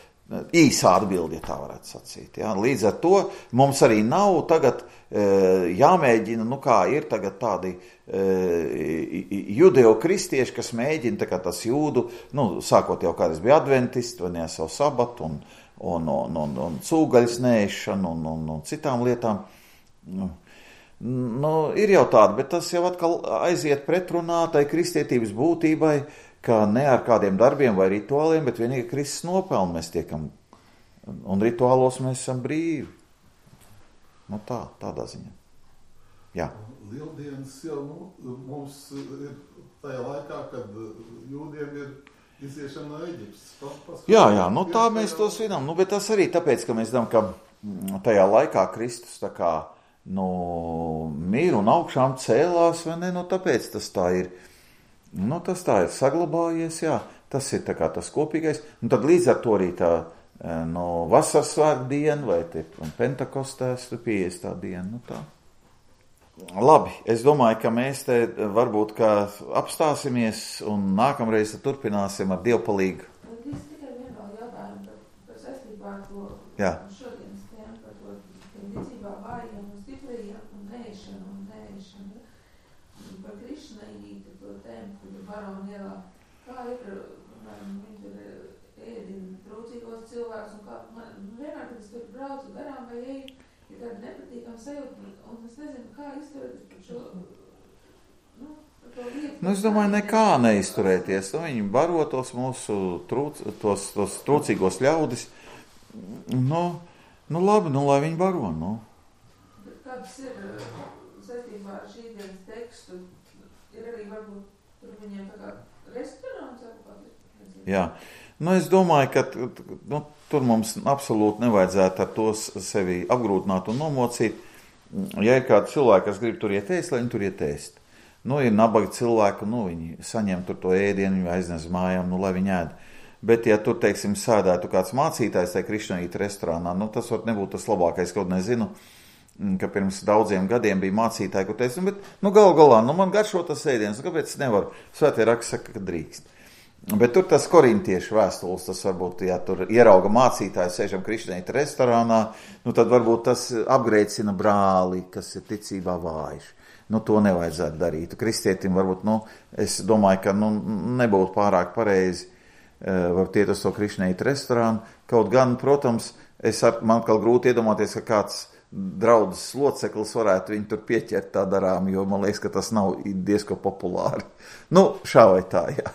īsā atbildi, ja tā varētu sacīt. Ja? Līdz ar to mums arī nav tagad jāmēģina, kā ir tagad tādi judeo-kristieši, kas mēģina, tā kā tas jūdu, sākot jau kādreiz bija adventisti, vai ne savu sabatu, un cūgaļas nēšanu, un citām lietām. Ir jau tāda, bet tas jau atkal aiziet pretrunā tai kristietības būtībai, ka ne ar kādiem darbiem vai rituāliem, bet vienīgi Kristus nopelnu mēs tiekam, un rituālos mēs esam brīvi. Tādā ziņā. Jā. Lieldienas jau mums ir tajā laikā, kad jūdiem ir iziešana no Eģiptes. Jā, tā mēs to svinām, bet tas arī tāpēc, ka mēs zinām, ka tajā laikā Kristus tā kā mīru un augšām cēlās, vai ne, tāpēc tas tā ir. Tas tā ir saglabājies, jā, tas ir tā kā tas kopīgais. Tad līdz ar to arī tā vasaras svētku diena, vai Pentekostēs 50. diena, tā. Labi, es domāju, ka mēs te varbūt kā apstāsimies un nākamreiz turpināsim ar dievpalīgu. Es tikai vienā jautājumu par saistībā ar to šodienas tēmu, par to ticībā vājiem un stiprījiem un nēšanu. Par Krišnaīti, to tēmu, kur ir Barona ielā. Kā ir, viņi tur ēdina trūcīgos cilvēkus, un kā, vienmēr, kad es tur braucu garām vai eju, ir tāda nepatīkama sajūta, un es nezinu, kā izturēties par šo, par to lietu. Es domāju, nekā neizturēties. Viņi baro tos mūsu tos trūcīgos ļaudis. Labi, lai viņi baro, Bet kāds ir saistībā ar šī dienas tekstu? Ir arī varbūt tur viņiem tā kā restorāns vai kāds? Jā. Es domāju, ka tur mums absolūti nevajadzētu ar to sevi apgrūtināt un nomocīt. Ja ir kādi cilvēki, kas grib tur iet ēst, lai viņi tur iet ēst. Ir nabagi cilvēki, viņi saņem tur to ēdienu, viņi aiznes mājām, lai viņi ēd. Bet, ja tur, teiksim, sēdētu kāds mācītājs tajā Krišnaīta restorānā, tas var nebūt tas labākais, kaut nezinu, ka pirms daudziem gadiem bija mācītāji, kur teica, bet, galu galā, man garšo tas ēdiens, kāpēc es nevaru? Svētie raksti saka, ka drīkst. Bet tur tas korintiešu vēstules, tas varbūt, ja tur ierauga mācītāju, sēžam Krišnaīta restorānā, tad varbūt tas apgrēcina brāli, kas ir ticībā vājš. To nevajadzētu darīt. Kristietim varbūt, es domāju, ka nebūtu pārāk pareizi varbūt iet uz to Krišnaīta restorānu. Kaut gan, protams, man kā grūti iedomāties, ka kāds draudzes loceklis varētu viņu tur pieķert tā darām, jo man liekas, ka tas nav diezko populāri. Šā vai tā, jā.